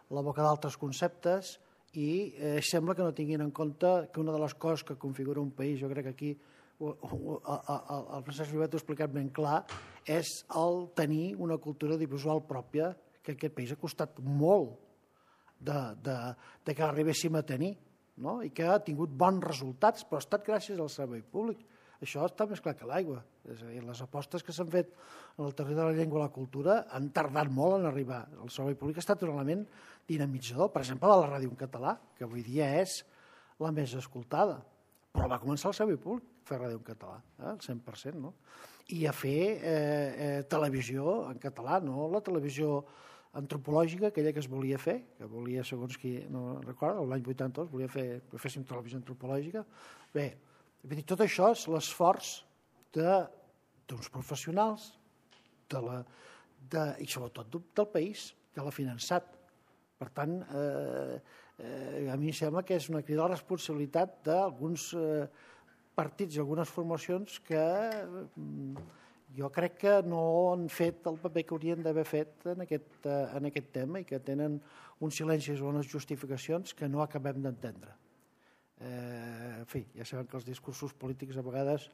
la boca d'altres conceptes i eh, sembla que no tinguin en compte que una de les coses que configura un país, jo crec que aquí el Francesc Llobet ho ha explicat ben clar, és el tenir una cultura audiovisual pròpia que aquest país ha costat molt de, de, de que l'arribéssim a tenir, no? I que ha tingut bons resultats, però ha estat gràcies al servei públic. Això està més clar que l'aigua. És a dir, les apostes que s'han fet en el terreny de la llengua i la cultura han tardat molt en arribar. El servei públic ha estat un element dinamitzador, per exemple, de la ràdio en català, que avui dia és la més escoltada. Però va començar el servei públic a fer ràdio en català, eh, el cent per cent, no? I a fer eh, eh, televisió en català, no la televisió antropològica, aquella que es volia fer, que volia, segons qui no recorda, l'any vuitanta-dos volia fer, que féssim televisió antropològica. Bé, tot això és l'esforç d'uns professionals de la, de, i sobretot del país, que l'ha finançat. Per tant, eh, eh, a mi em sembla que és una crida a la responsabilitat d'alguns eh, partits i algunes formacions que eh, jo crec que no han fet el paper que haurien d'haver fet en aquest, eh, en aquest tema i que tenen uns silencis o unes justificacions que no acabem d'entendre. Eh, en fi, ja sabem que els discursos polítics a vegades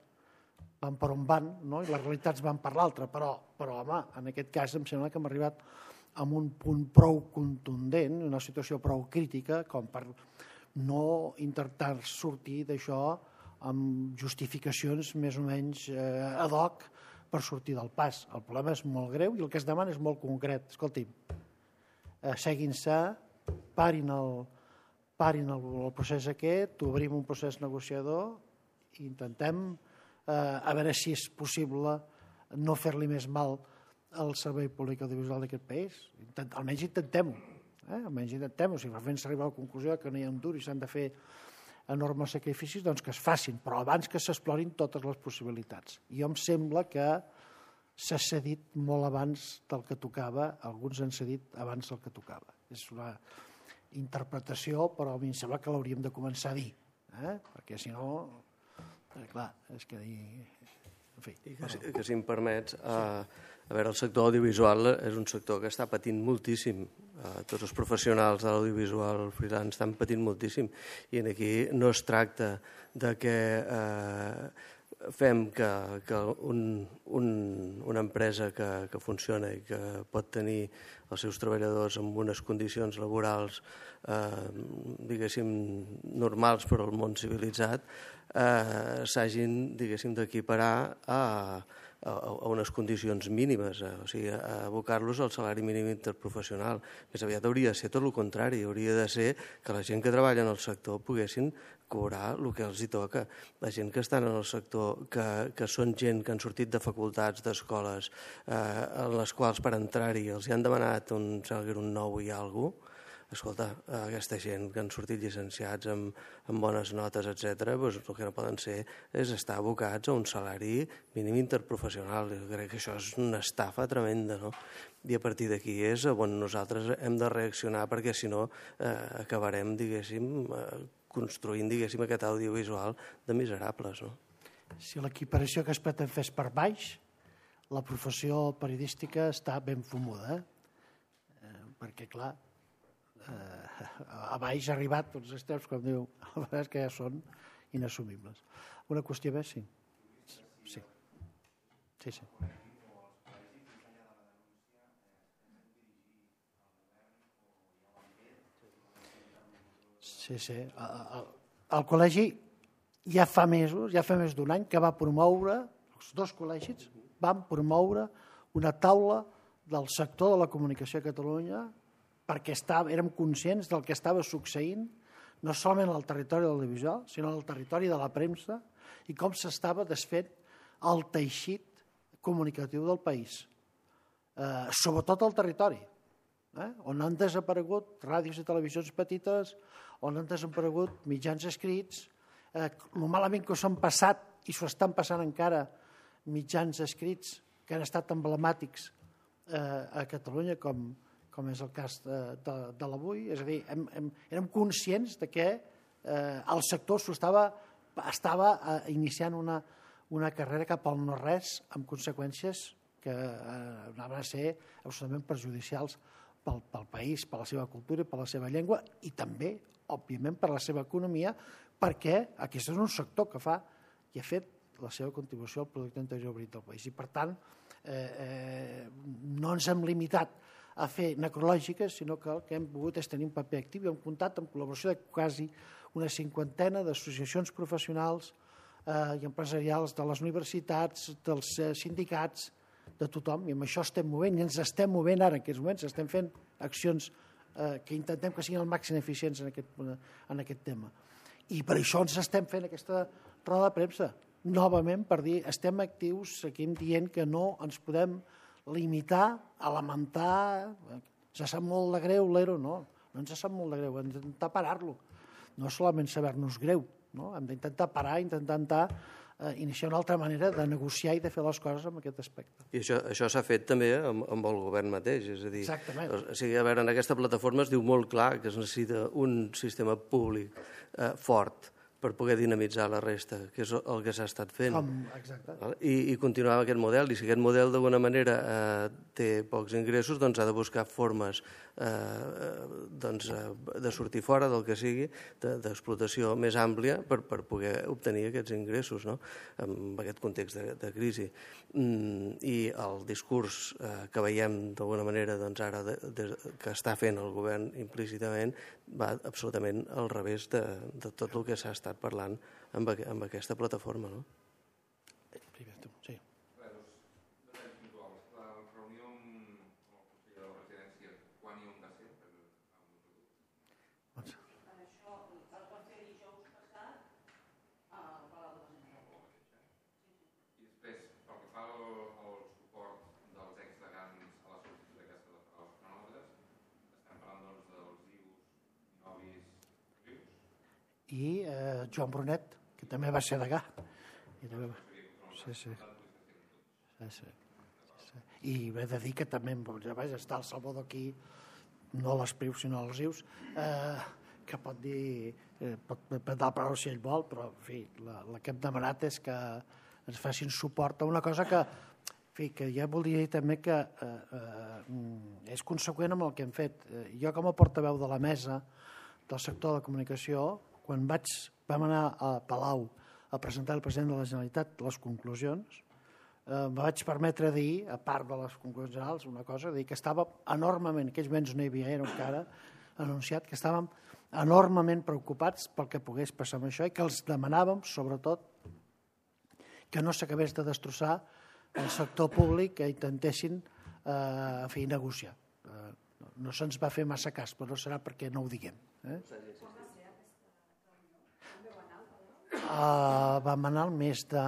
van per on van, no? I les realitats van per l'altra, però, però home, en aquest cas em sembla que hem arribat amb un punt prou contundent, una situació prou crítica, com per no intentar sortir d'això amb justificacions més o menys eh, ad hoc per sortir del pas. El problema és molt greu i el que es demana és molt concret. Escolti'm, eh, seguin-se, parin, el, parin el, el procés aquest, obrim un procés negociador i intentem eh, a veure si és possible no fer-li més mal al servei públic audiovisual d'aquest país. Intent, almenys intentem-ho. Eh? Almenys intentem-ho. Si fent s'arriba a la conclusió que no hi ha un dur i s'han de fer enormes sacrificis, doncs que es facin, però abans que s'explorin totes les possibilitats. I em sembla que s'ha cedit molt abans del que tocava, alguns han cedit abans del que tocava. És una interpretació, però a mi em sembla que l'hauríem de començar a dir, eh? Perquè si no, eh, clar, és que dir... En fi, I que, si, que si em permets, eh, a veure, el sector audiovisual és un sector que està patint moltíssim. Eh, tots els professionals de l'audiovisual freelance estan patint moltíssim i aquí no es tracta de que eh, fem que, que un, un, una empresa que, que funciona i que pot tenir els seus treballadors en unes condicions laborals eh, diguéssim normals per al món civilitzat eh, s'hagin diguéssim d'equiparar a a unes condicions mínimes, o sigui, a abocar-los al salari mínim interprofessional. Més aviat hauria de ser tot el contrari, hauria de ser que la gent que treballa en el sector poguessin cobrar el que els hi toca. La gent que estan en el sector, que, que són gent que han sortit de facultats, d'escoles, eh, en les quals per entrar-hi els hi han demanat un salari un nou i alguna cosa, escolta, aquesta gent que han sortit llicenciats amb, amb bones notes, etcètera, doncs el que no poden ser és estar abocats a un salari mínim interprofessional. Jo crec que això és una estafa tremenda, no? I a partir d'aquí és on nosaltres hem de reaccionar, perquè si no eh, acabarem, diguéssim, eh, construint, diguéssim, aquest audiovisual de miserables, no? Si l'equiparació que es pretén fer és per baix, la professió periodística està ben fumuda, eh? perquè, clar, eh, a baix ha arribat tots els temps, com diu, la veritat és que ja són inassumibles. Una qüestió més, sí. Sí, sí. sí. Sí, sí. El, el, el col·legi ja fa mesos, ja fa més d'un any, que va promoure, els dos col·legis van promoure una taula del sector de la comunicació a Catalunya perquè estava, érem conscients del que estava succeint no solament al territori de l'audiovisual, sinó al territori de la premsa i com s'estava desfent el teixit comunicatiu del país. Eh, sobretot al territori, eh, on han desaparegut ràdios i televisions petites, on han desaparegut mitjans escrits, eh, el malament que s'han passat i s'ho estan passant encara mitjans escrits que han estat emblemàtics eh, a Catalunya, com, com és el cas de, de, de l'avui. És a dir, hem, hem, érem conscients de que eh, el sector estava, estava eh, iniciant una, una carrera cap al no-res amb conseqüències que eh, anaven a ser absolutament perjudicials pel, pel país, per la seva cultura, per la seva llengua i també, òbviament, per la seva economia, perquè aquest és un sector que fa i ha fet la seva contribució al producte interior brut del país. I, per tant, eh, eh, no ens hem limitat a fer necrològiques, sinó que el que hem volgut és tenir un paper actiu i hem comptat amb col·laboració de quasi una cinquantena d'associacions professionals eh, i empresarials de les universitats, dels eh, sindicats, de tothom, i amb això estem movent, i ens estem movent ara en aquests moments, estem fent accions eh, que intentem que siguin el màxim eficients en aquest, en aquest tema. I per això ens estem fent aquesta roda de premsa, novament per dir, estem actius, seguim dient que no ens podem limitar a lamentar, ens sap molt de greu l'Ero, no, no ens sap molt de greu, hem d'intentar parar-lo, no solament saber-nos greu, no? Hem d'intentar parar, intentar eh, iniciar una altra manera de negociar i de fer les coses en aquest aspecte. I això, això s'ha fet també amb, amb el govern mateix, és a dir, Exactament. o sigui, a veure, en aquesta plataforma es diu molt clar que es necessita un sistema públic eh, fort per poder dinamitzar la resta, que és el que s'ha estat fent. Com, exacte. I, i continuar amb aquest model, i si aquest model d'alguna manera eh, té pocs ingressos, doncs ha de buscar formes eh, doncs, eh, de sortir fora del que sigui, d'explotació de, més àmplia per, per poder obtenir aquests ingressos, no? En aquest context de, de crisi. Mm, I el discurs eh, que veiem d'alguna manera doncs, ara de, de, que està fent el govern implícitament va absolutament al revés de, de tot el que s'ha estat parlant amb, amb aquesta plataforma, no? Primer, tu, sí. La reunió amb el conseller de la residència, quan i on va ser? Doncs, Això el vam fer dijous passat al Palau de la Generalitat. I després, pel que fa al, al suport dels exdegans a la sol·licitud aquesta de parar els cronòmetres, estem parlant doncs, dels I Us, Novis, Rius? i eh, Joan Brunet, que també va ser degà. I també va... Sí, sí. Sí, sí. Sí. I he de dir que també ja vaig estar el Salvador aquí, no a les Prius, sinó als Rius, eh, que pot dir, eh, pot prendre la paraula si ell vol, però en fi, la, la que hem demanat és que ens facin suport a una cosa que, en fi, que ja voldria dir també que eh, eh, és conseqüent amb el que hem fet. Eh, jo com a portaveu de la mesa del sector de la comunicació, quan vaig, vam anar a Palau a presentar al president de la Generalitat les conclusions, eh, em vaig permetre dir, a part de les conclusions generals, una cosa, dir que estàvem enormement, en aquells moments no hi havia era encara, anunciat que estàvem enormement preocupats pel que pogués passar amb això i que els demanàvem, sobretot, que no s'acabés de destrossar el sector públic, que intentessin eh, en fi, negociar. Eh, no se'ns va fer massa cas, però no serà perquè no ho diguem. Eh? Uh, vam anar al mes de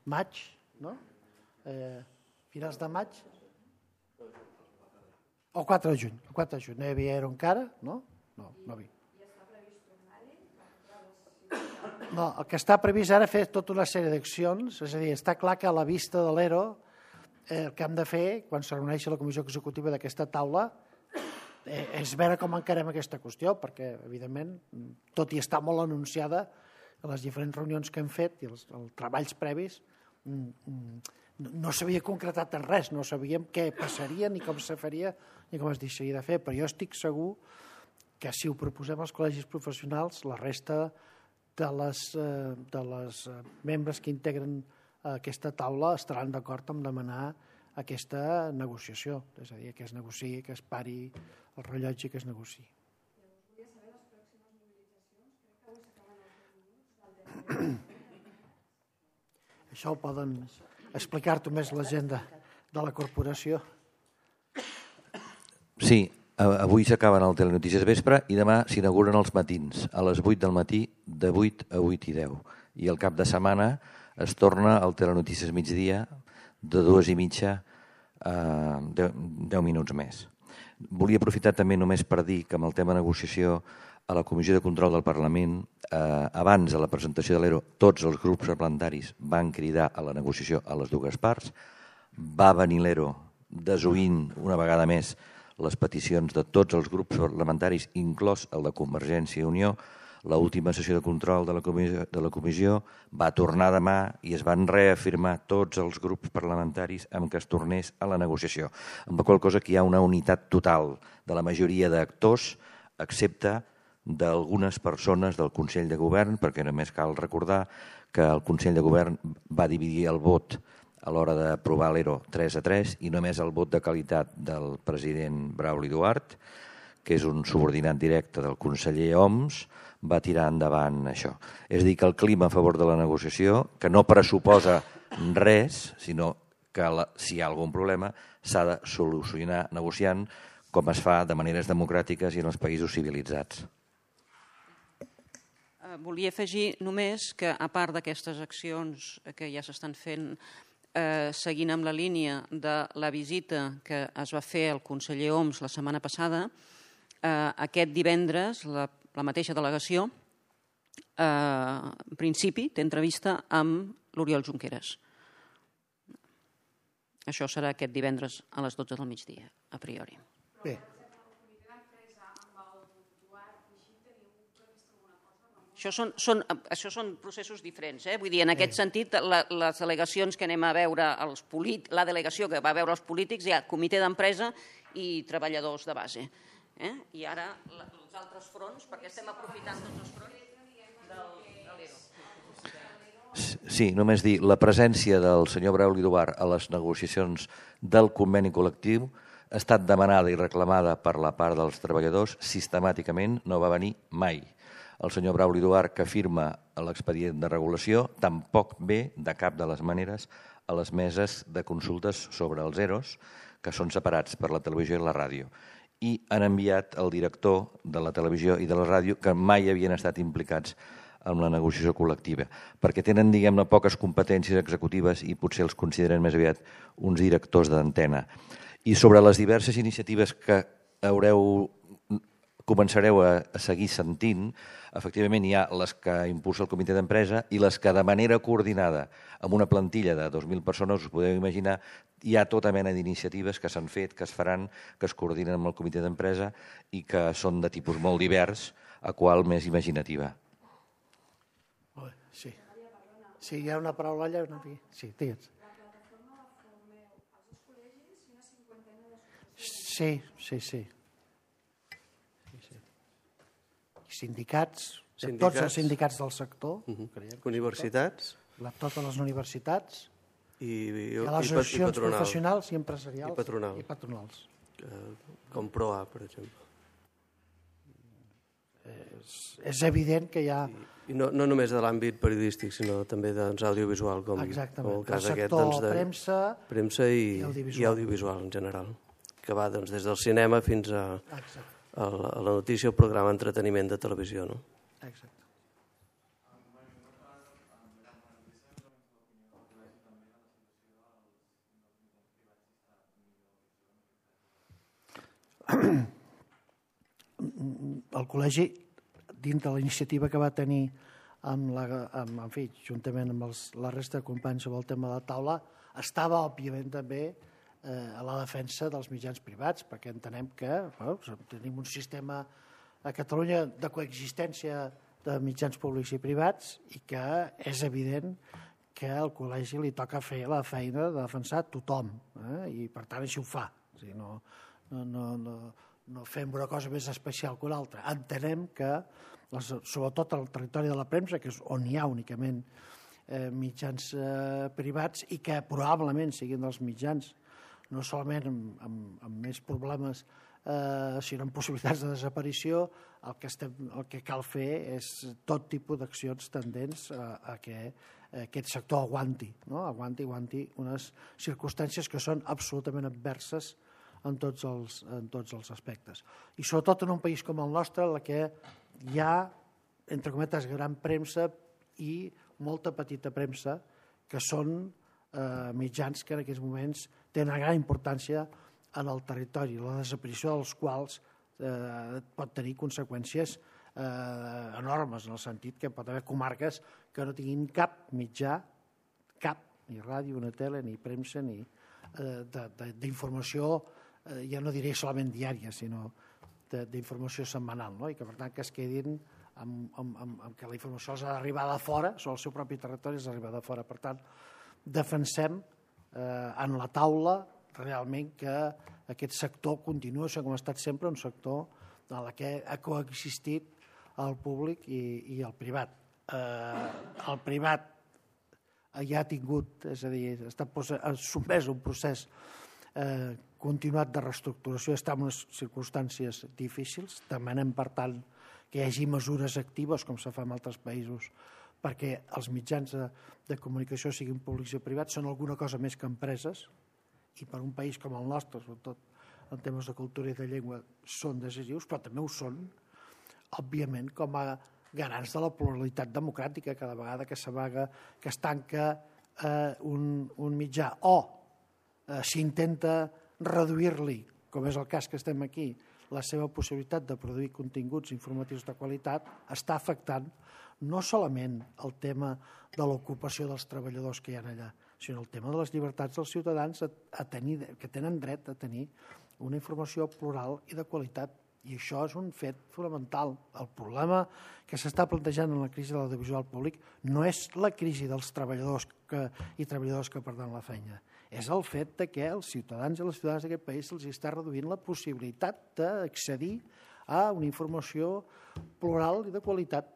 maig, no? Eh, finals de maig? O quatre de juny, el quatre de juny, no hi havia era encara, no? no, no vi. No, el que està previst ara fer tota una sèrie d'accions, és a dir, està clar que a la vista de l'E R O eh, el que hem de fer, quan se reuneixi la comissió executiva d'aquesta taula, eh, és veure com encarem aquesta qüestió, perquè, evidentment, tot i estar molt anunciada, a les diferents reunions que hem fet i els, els treballs previs, no s'havia concretat en res, no sabíem què passaria, ni com se faria, ni com es deixaria de fer, però jo estic segur que si ho proposem als col·legis professionals, la resta de les, de les membres que integren aquesta taula estaran d'acord amb demanar aquesta negociació, és a dir, que es negociï, que es pari el rellotge i que es negociï. Això ho poden explicar-t'ho més la gent de, de la corporació. Sí, avui s'acaben el Telenotícies vespre i demà s'inauguren els matins, a les vuit del matí, de vuit a vuit i deu. I al cap de setmana es torna al Telenotícies migdia, de dues i mitja a deu minuts més. Volia aprofitar també només per dir que amb el tema de negociació a la Comissió de Control del Parlament, eh, abans de la presentació de l'E R O, tots els grups parlamentaris van cridar a la negociació a les dues parts, va venir l'E R O desoint una vegada més les peticions de tots els grups parlamentaris, inclòs el de Convergència i Unió. L'última sessió de control de la, comissió, de la comissió va tornar demà i es van reafirmar tots els grups parlamentaris amb què es tornés a la negociació. Amb la qual cosa que hi ha una unitat total de la majoria d'actors, excepte d'algunes persones del Consell de Govern, perquè només cal recordar que el Consell de Govern va dividir el vot a l'hora d'aprovar l'E R O tres a tres i només el vot de qualitat del president Brauli Duart, que és un subordinat directe del conseller Homs, va tirar endavant això. És a dir, que el clima a favor de la negociació, que no pressuposa res, sinó que la, si hi ha algun problema s'ha de solucionar negociant com es fa de maneres democràtiques i en els països civilitzats. Volia afegir només que, a part d'aquestes accions que ja s'estan fent Eh, seguint amb la línia de la visita que es va fer al conseller Homs la setmana passada, eh, aquest divendres la, la mateixa delegació eh, en principi té entrevista amb l'Oriol Junqueras. Això serà aquest divendres a les dotze del migdia, a priori. Bé. Això són, són, això són processos diferents. Eh? Vull dir, en aquest sentit, la, les delegacions que anem a veure, els polit, la delegació que va veure els polítics, hi ha comitè d'empresa i treballadors de base. Eh? I ara la, els altres fronts, perquè estem aprofitant tots els fronts del, de l'E R O. Sí, només dir, la presència del senyor Brauli Duart a les negociacions del conveni col·lectiu ha estat demanada i reclamada per la part dels treballadors, sistemàticament no va venir mai. El senyor Brauli Duart, que firma l'expedient de regulació, tampoc ve de cap de les maneres a les meses de consultes sobre els E R Os, que són separats per la televisió i la ràdio. I han enviat el director de la televisió i de la ràdio, que mai havien estat implicats en la negociació col·lectiva, perquè tenen, diguem-ne, poques competències executives i potser els consideren més aviat uns directors d'antena. I sobre les diverses iniciatives que haureu començareu a, a seguir sentint, efectivament hi ha les que impulsa el comitè d'empresa i les que de manera coordinada amb una plantilla de dos mil persones, us podeu imaginar, hi ha tota mena d'iniciatives que s'han fet, que es faran, que es coordinen amb el comitè d'empresa i que són de tipus molt divers, a qual més imaginativa. Sí, sí, hi ha una paraula allà. Una... Sí, digues. Sí, sí, sí. Sindicats, sindicats, tots els sindicats del sector, uh -huh. Universitats, la, totes les universitats, i, i, i les associacions i professionals i empresarials i, patronal. i patronals. Uh, com ProA, per exemple. És, és evident que hi ha... I, i no, no només de l'àmbit periodístic, sinó també doncs, audiovisual, com, com el cas el aquest doncs, de premsa, premsa i, i, audiovisual. i audiovisual en general, que va doncs, des del cinema fins a... Exacte. A la, a la notícia o programa d'entreteniment de televisió, no? Exacte. el col·legi, dins de la iniciativa que va tenir amb la, amb, en fi, juntament amb els, la resta de companys sobre el tema de la taula, estava, òbviament, també eh, a la defensa dels mitjans privats, perquè entenem que bueno, tenim un sistema a Catalunya de coexistència de mitjans públics i privats i que és evident que al col·legi li toca fer la feina de defensar tothom, eh? I per tant així ho fa. O sigui, no, no, no, no, no fem una cosa més especial que una altra. Entenem que, les, sobretot al territori de la premsa, que és on hi ha únicament eh, mitjans eh, privats i que probablement siguin dels mitjans, no solament amb, amb, amb més problemes, eh, sinó amb possibilitats de desaparició, el que, estem, el que cal fer és tot tipus d'accions tendents a, a que aquest sector aguanti, no? aguanti, aguanti unes circumstàncies que són absolutament adverses en tots els, en tots els aspectes. I sobretot en un país com el nostre, en què hi ha, entre cometes, gran premsa i molta petita premsa, que són eh, mitjans que en aquests moments tenen una gran importància en el territori, la desaparició dels quals eh, pot tenir conseqüències eh, enormes, en el sentit que pot haver comarques que no tinguin cap mitjà, cap, ni ràdio, ni tele, ni premsa, ni eh, d'informació, eh, ja no diré solament diària, sinó d'informació setmanal, no? I que per tant que es quedin amb, amb, amb, amb que la informació els ha d'arribar de fora, sobre el seu propi territori els ha d'arribar de fora. Per tant, defensem eh, en la taula realment que aquest sector continua sent com ha estat sempre un sector en el que ha coexistit el públic i, i el privat. Eh, el privat ja ha tingut, és a dir, ha estat sotmès a un procés eh, continuat de reestructuració, està en unes circumstàncies difícils. Demanem, per tant, que hi hagi mesures actives, com se fa en altres països, perquè els mitjans de, de comunicació siguin públics i privats, són alguna cosa més que empreses, i per un país com el nostre, sobretot en temes de cultura i de llengua, són decisius, però també ho són, òbviament, com a garants de la pluralitat democràtica. Cada vegada que s'amaga, que es tanca eh, un, un mitjà o eh, s'intenta reduir-li, com és el cas que estem aquí, la seva possibilitat de produir continguts informatius de qualitat, està afectant no solament el tema de l'ocupació dels treballadors que hi ha allà, sinó el tema de les llibertats dels ciutadans a, a tenir, que tenen dret a tenir una informació plural i de qualitat. I això és un fet fonamental. El problema que s'està plantejant en la crisi de l'audiovisual públic no és la crisi dels treballadors que, i treballadors que perden la feina. És el fet de que els ciutadans i les ciutadanes d'aquest país se'ls està reduint la possibilitat d'accedir a una informació plural i de qualitat.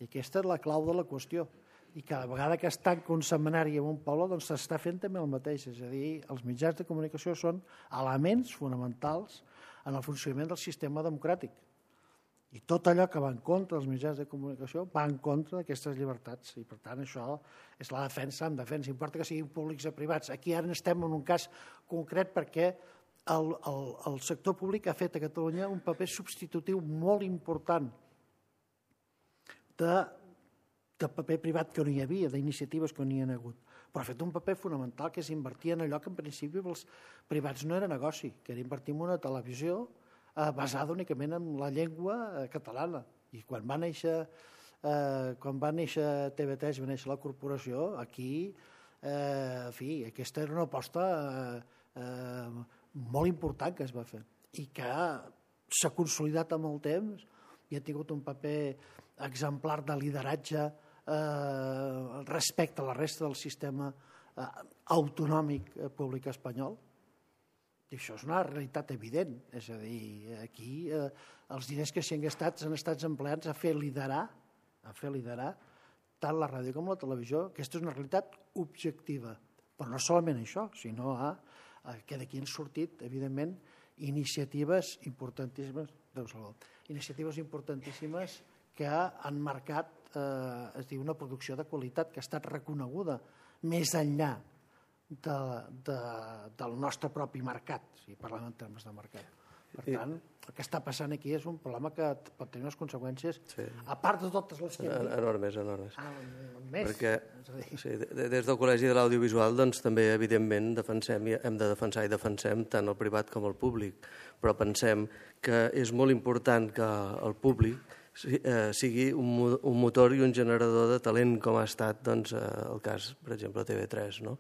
I aquesta és la clau de la qüestió. I cada vegada que es tanca un setmanari en un poble, doncs s'està fent també el mateix. És a dir, els mitjans de comunicació són elements fonamentals en el funcionament del sistema democràtic. I tot allò que va en contra dels mitjans de comunicació va en contra d'aquestes llibertats. I per tant això és la defensa en defensa. Importa que siguin públics o privats. Aquí ara estem en un cas concret perquè el, el, el sector públic ha fet a Catalunya un paper substitutiu molt important de, de paper privat que no hi havia, d'iniciatives que no hi ha hagut. Però ha fet un paper fonamental, que és invertir en allò que en principi els privats no era negoci, que era invertir en una televisió eh, basada únicament en la llengua eh, catalana. I quan va néixer eh, quan va néixer T V tres, va néixer la corporació, aquí, eh, en fi, aquesta era una aposta eh, eh, molt important que es va fer i que s'ha consolidat amb el temps i ha tingut un paper exemplar de lideratge Eh, respecte a la resta del sistema eh, autonòmic eh, públic espanyol. I això és una realitat evident. És a dir, aquí eh, els diners que s'hi han gastat s'han estat empleats a fer liderar, a fer liderar tant la ràdio com la televisió. Aquesta és una realitat objectiva. Però no solament això, sinó a, a que d'aquí han sortit, evidentment, iniciatives importantíssimes, Déu salva, iniciatives importantíssimes que han marcat eh, es diu una producció de qualitat que ha estat reconeguda més enllà de, de, del nostre propi mercat, si parlem en termes de mercat. Per tant, el que està passant aquí és un problema que pot tenir unes conseqüències, sí, a part de totes les que hem dit. Enormes, enormes. Ah, més. Perquè sí, des del Col·legi de l'Audiovisual doncs, també, evidentment, defensem, hem de defensar i defensem tant el privat com el públic, però pensem que és molt important que el públic sigui un motor i un generador de talent, com ha estat doncs, el cas, per exemple, de T V tres, no?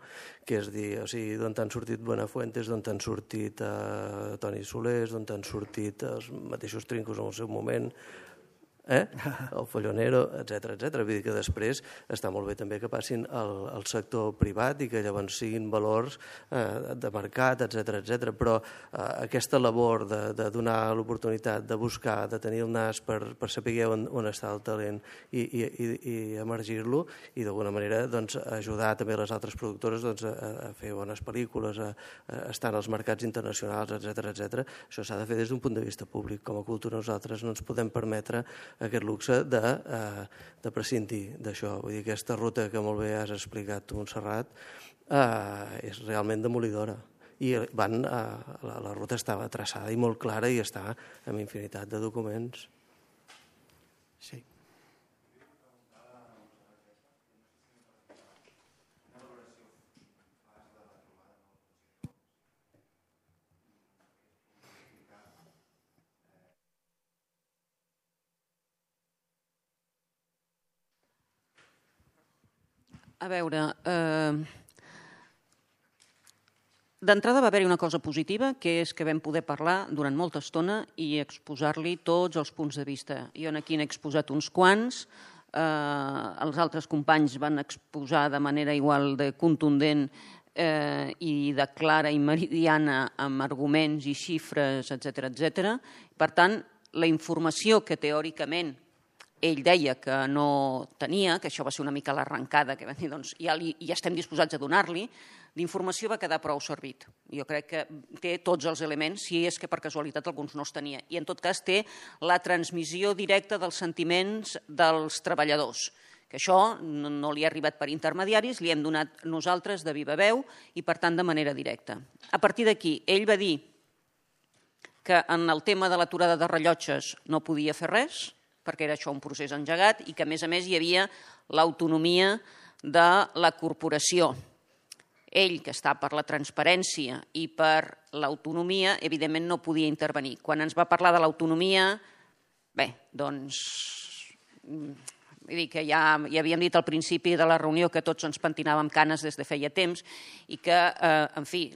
Que és dir, o sigui, d'on han sortit Buenafuentes, d'on han sortit uh, Toni Solés, d'on han sortit els mateixos Trincos en el seu moment, eh? el Follonero, etcètera, etcètera. Vull dir que després està molt bé també que passin al, al sector privat i que llavors siguin valors eh, de mercat, etcètera, etcètera. Però eh, aquesta labor de, de donar l'oportunitat, de buscar, de tenir el nas per, per saber on, on està el talent i, i, i, i emergir-lo i d'alguna manera doncs, ajudar també les altres productores doncs, a, a fer bones pel·lícules, a, a estar en els mercats internacionals, etcètera, etcètera. Això s'ha de fer des d'un punt de vista públic. Com a cultura nosaltres no ens podem permetre aquest luxe de, eh, de prescindir d'això. Vull dir, aquesta ruta que molt bé has explicat tu, Montserrat, eh, és realment demolidora. I van, eh, la, la ruta estava traçada i molt clara i està amb infinitat de documents. Sí. A veure, eh, d'entrada va haver-hi una cosa positiva, que és que vam poder parlar durant molta estona i exposar-li tots els punts de vista. Jo aquí n'he exposat uns quants, eh, els altres companys van exposar de manera igual de contundent eh, i de clara i meridiana amb arguments i xifres, etcètera, etcètera. Per tant, la informació que teòricament ell deia que no tenia, que això va ser una mica l'arrencada, que van dir, doncs ja, li, ja estem disposats a donar-li, l'informació va quedar prou servit. Jo crec que té tots els elements, si és que per casualitat alguns no els tenia. I en tot cas té la transmissió directa dels sentiments dels treballadors, que això no, no li ha arribat per intermediaris, li hem donat nosaltres de viva veu i per tant de manera directa. A partir d'aquí, ell va dir que en el tema de l'aturada de rellotges no podia fer res, perquè era això un procés engegat i que, a més a més, hi havia l'autonomia de la corporació. Ell, que està per la transparència i per l'autonomia, evidentment no podia intervenir. Quan ens va parlar de l'autonomia, bé, doncs, vull dir que ja, ja havíem dit al principi de la reunió que tots ens pentinàvem canes des de feia temps i que, eh, en fi,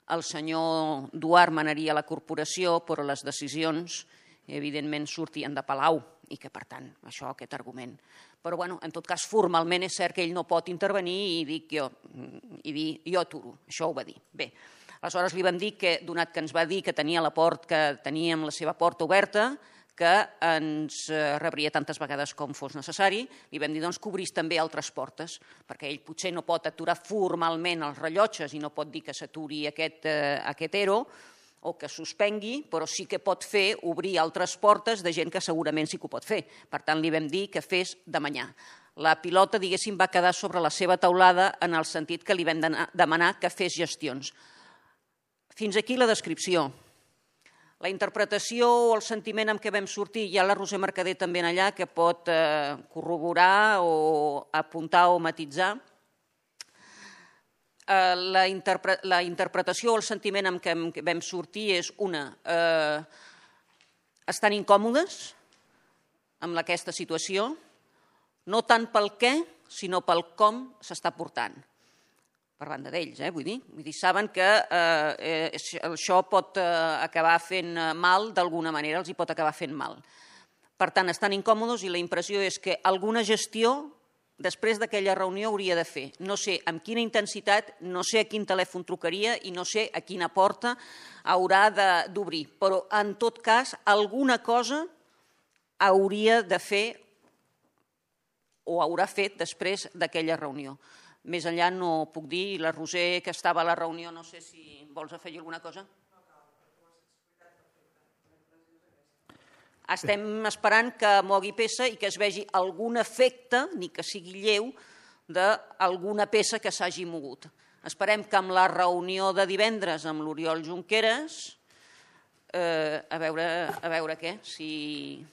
el senyor Duart manaria la corporació, però les decisions evidentment sortien de Palau i que, per tant, això, aquest argument. Però, bueno, en tot cas, formalment és cert que ell no pot intervenir i dir jo, i dir, jo aturo. Això ho va dir. Bé, aleshores li vam dir que, donat que ens va dir que tenia la port, que teníem la seva porta oberta, que ens rebria tantes vegades com fos necessari, li vam dir doncs, que obrís també altres portes, perquè ell potser no pot aturar formalment els rellotges i no pot dir que s'aturi aquest, eh, aquest ERO, o que suspengui, però sí que pot fer obrir altres portes de gent que segurament sí que ho pot fer. Per tant, li vam dir que fes de manyà. La pilota, diguéssim, va quedar sobre la seva taulada en el sentit que li vam demanar que fes gestions. Fins aquí la descripció. La interpretació o el sentiment amb què vam sortir, hi ha la Roser Mercader també en allà, que pot eh, corroborar o apuntar o matitzar. La, interpre la interpretació o el sentiment amb què vam sortir és una, eh, estan incòmodes amb aquesta situació, no tant pel què, sinó pel com s'està portant, per banda d'ells, eh, vull dir. Vull dir, saben que eh, això pot eh, acabar fent mal d'alguna manera, els hi pot acabar fent mal. Per tant, estan incòmodes i la impressió és que alguna gestió després d'aquella reunió hauria de fer. No sé amb quina intensitat, no sé a quin telèfon trucaria i no sé a quina porta haurà d'obrir. Però, en tot cas, alguna cosa hauria de fer o haurà fet després d'aquella reunió. Més enllà no puc dir, la Roser, que estava a la reunió, no sé si vols afegir alguna cosa? Estem esperant que mogui peça i que es vegi algun efecte, ni que sigui lleu, d'alguna peça que s'hagi mogut. Esperem que amb la reunió de divendres amb l'Oriol Junqueras eh, a, veure, a veure què. Si...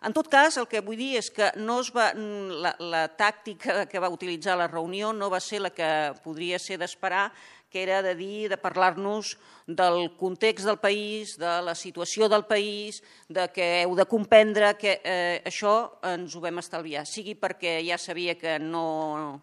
En tot cas, el que vull dir és que no es va, la, la tàctica que va utilitzar la reunió no va ser la que podria ser d'esperar, que era de dir, de parlar-nos del context del país, de la situació del país, de que heu de comprendre que eh, això ens ho vam estalviar, sigui perquè ja sabia que no...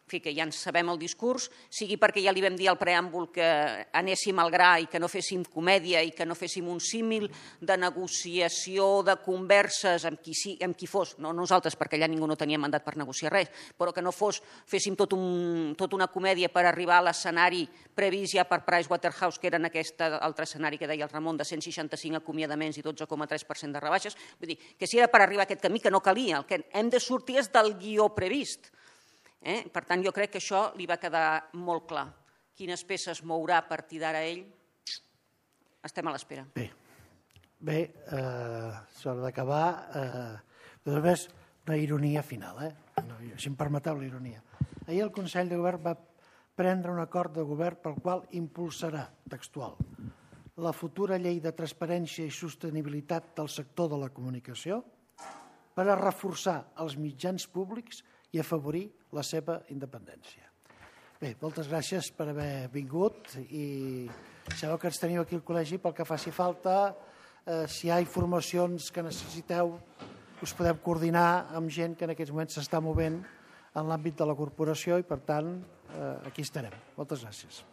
En fi, que ja ens sabem el discurs, sigui perquè ja li vam dir al preàmbul que anéssim al gra i que no féssim comèdia i que no féssim un símil de negociació, de converses amb qui, sí, amb qui fos, no nosaltres, perquè allà ningú no tenia mandat per negociar res, però que no fos, féssim tot un, tot una comèdia per arribar a l'escenari previst ja per Pricewaterhouse, que era en aquest altre escenari que deia el Ramon, de cent seixanta-cinc acomiadaments i dotze coma tres per cent de rebaixes. Vull dir, que si era per arribar a aquest camí, que no calia, el que hem de sortir és del guió previst. Eh? Per tant, jo crec que això li va quedar molt clar. Quines peces mourà a partir d'ara ell, estem a l'espera. Bé, bé eh, s'ha d'acabar. Eh, només una ironia final, eh? No, si em permeteu la ironia. Ahir el Consell de Govern va prendre un acord de govern pel qual impulsarà, textual, la futura llei de transparència i sostenibilitat del sector de la comunicació per a reforçar els mitjans públics i afavorir la seva independència. Bé, moltes gràcies per haver vingut i sabeu que ens teniu aquí al col·legi pel que faci falta. Eh, si hi ha informacions que necessiteu, us podem coordinar amb gent que en aquests moments s'està movent en l'àmbit de la corporació i, per tant, eh, aquí estarem. Moltes gràcies.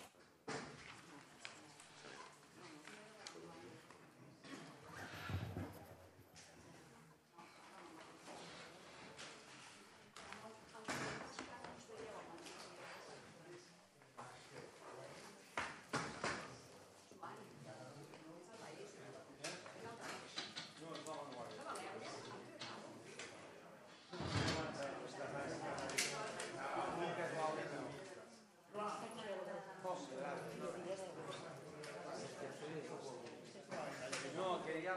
No, que ja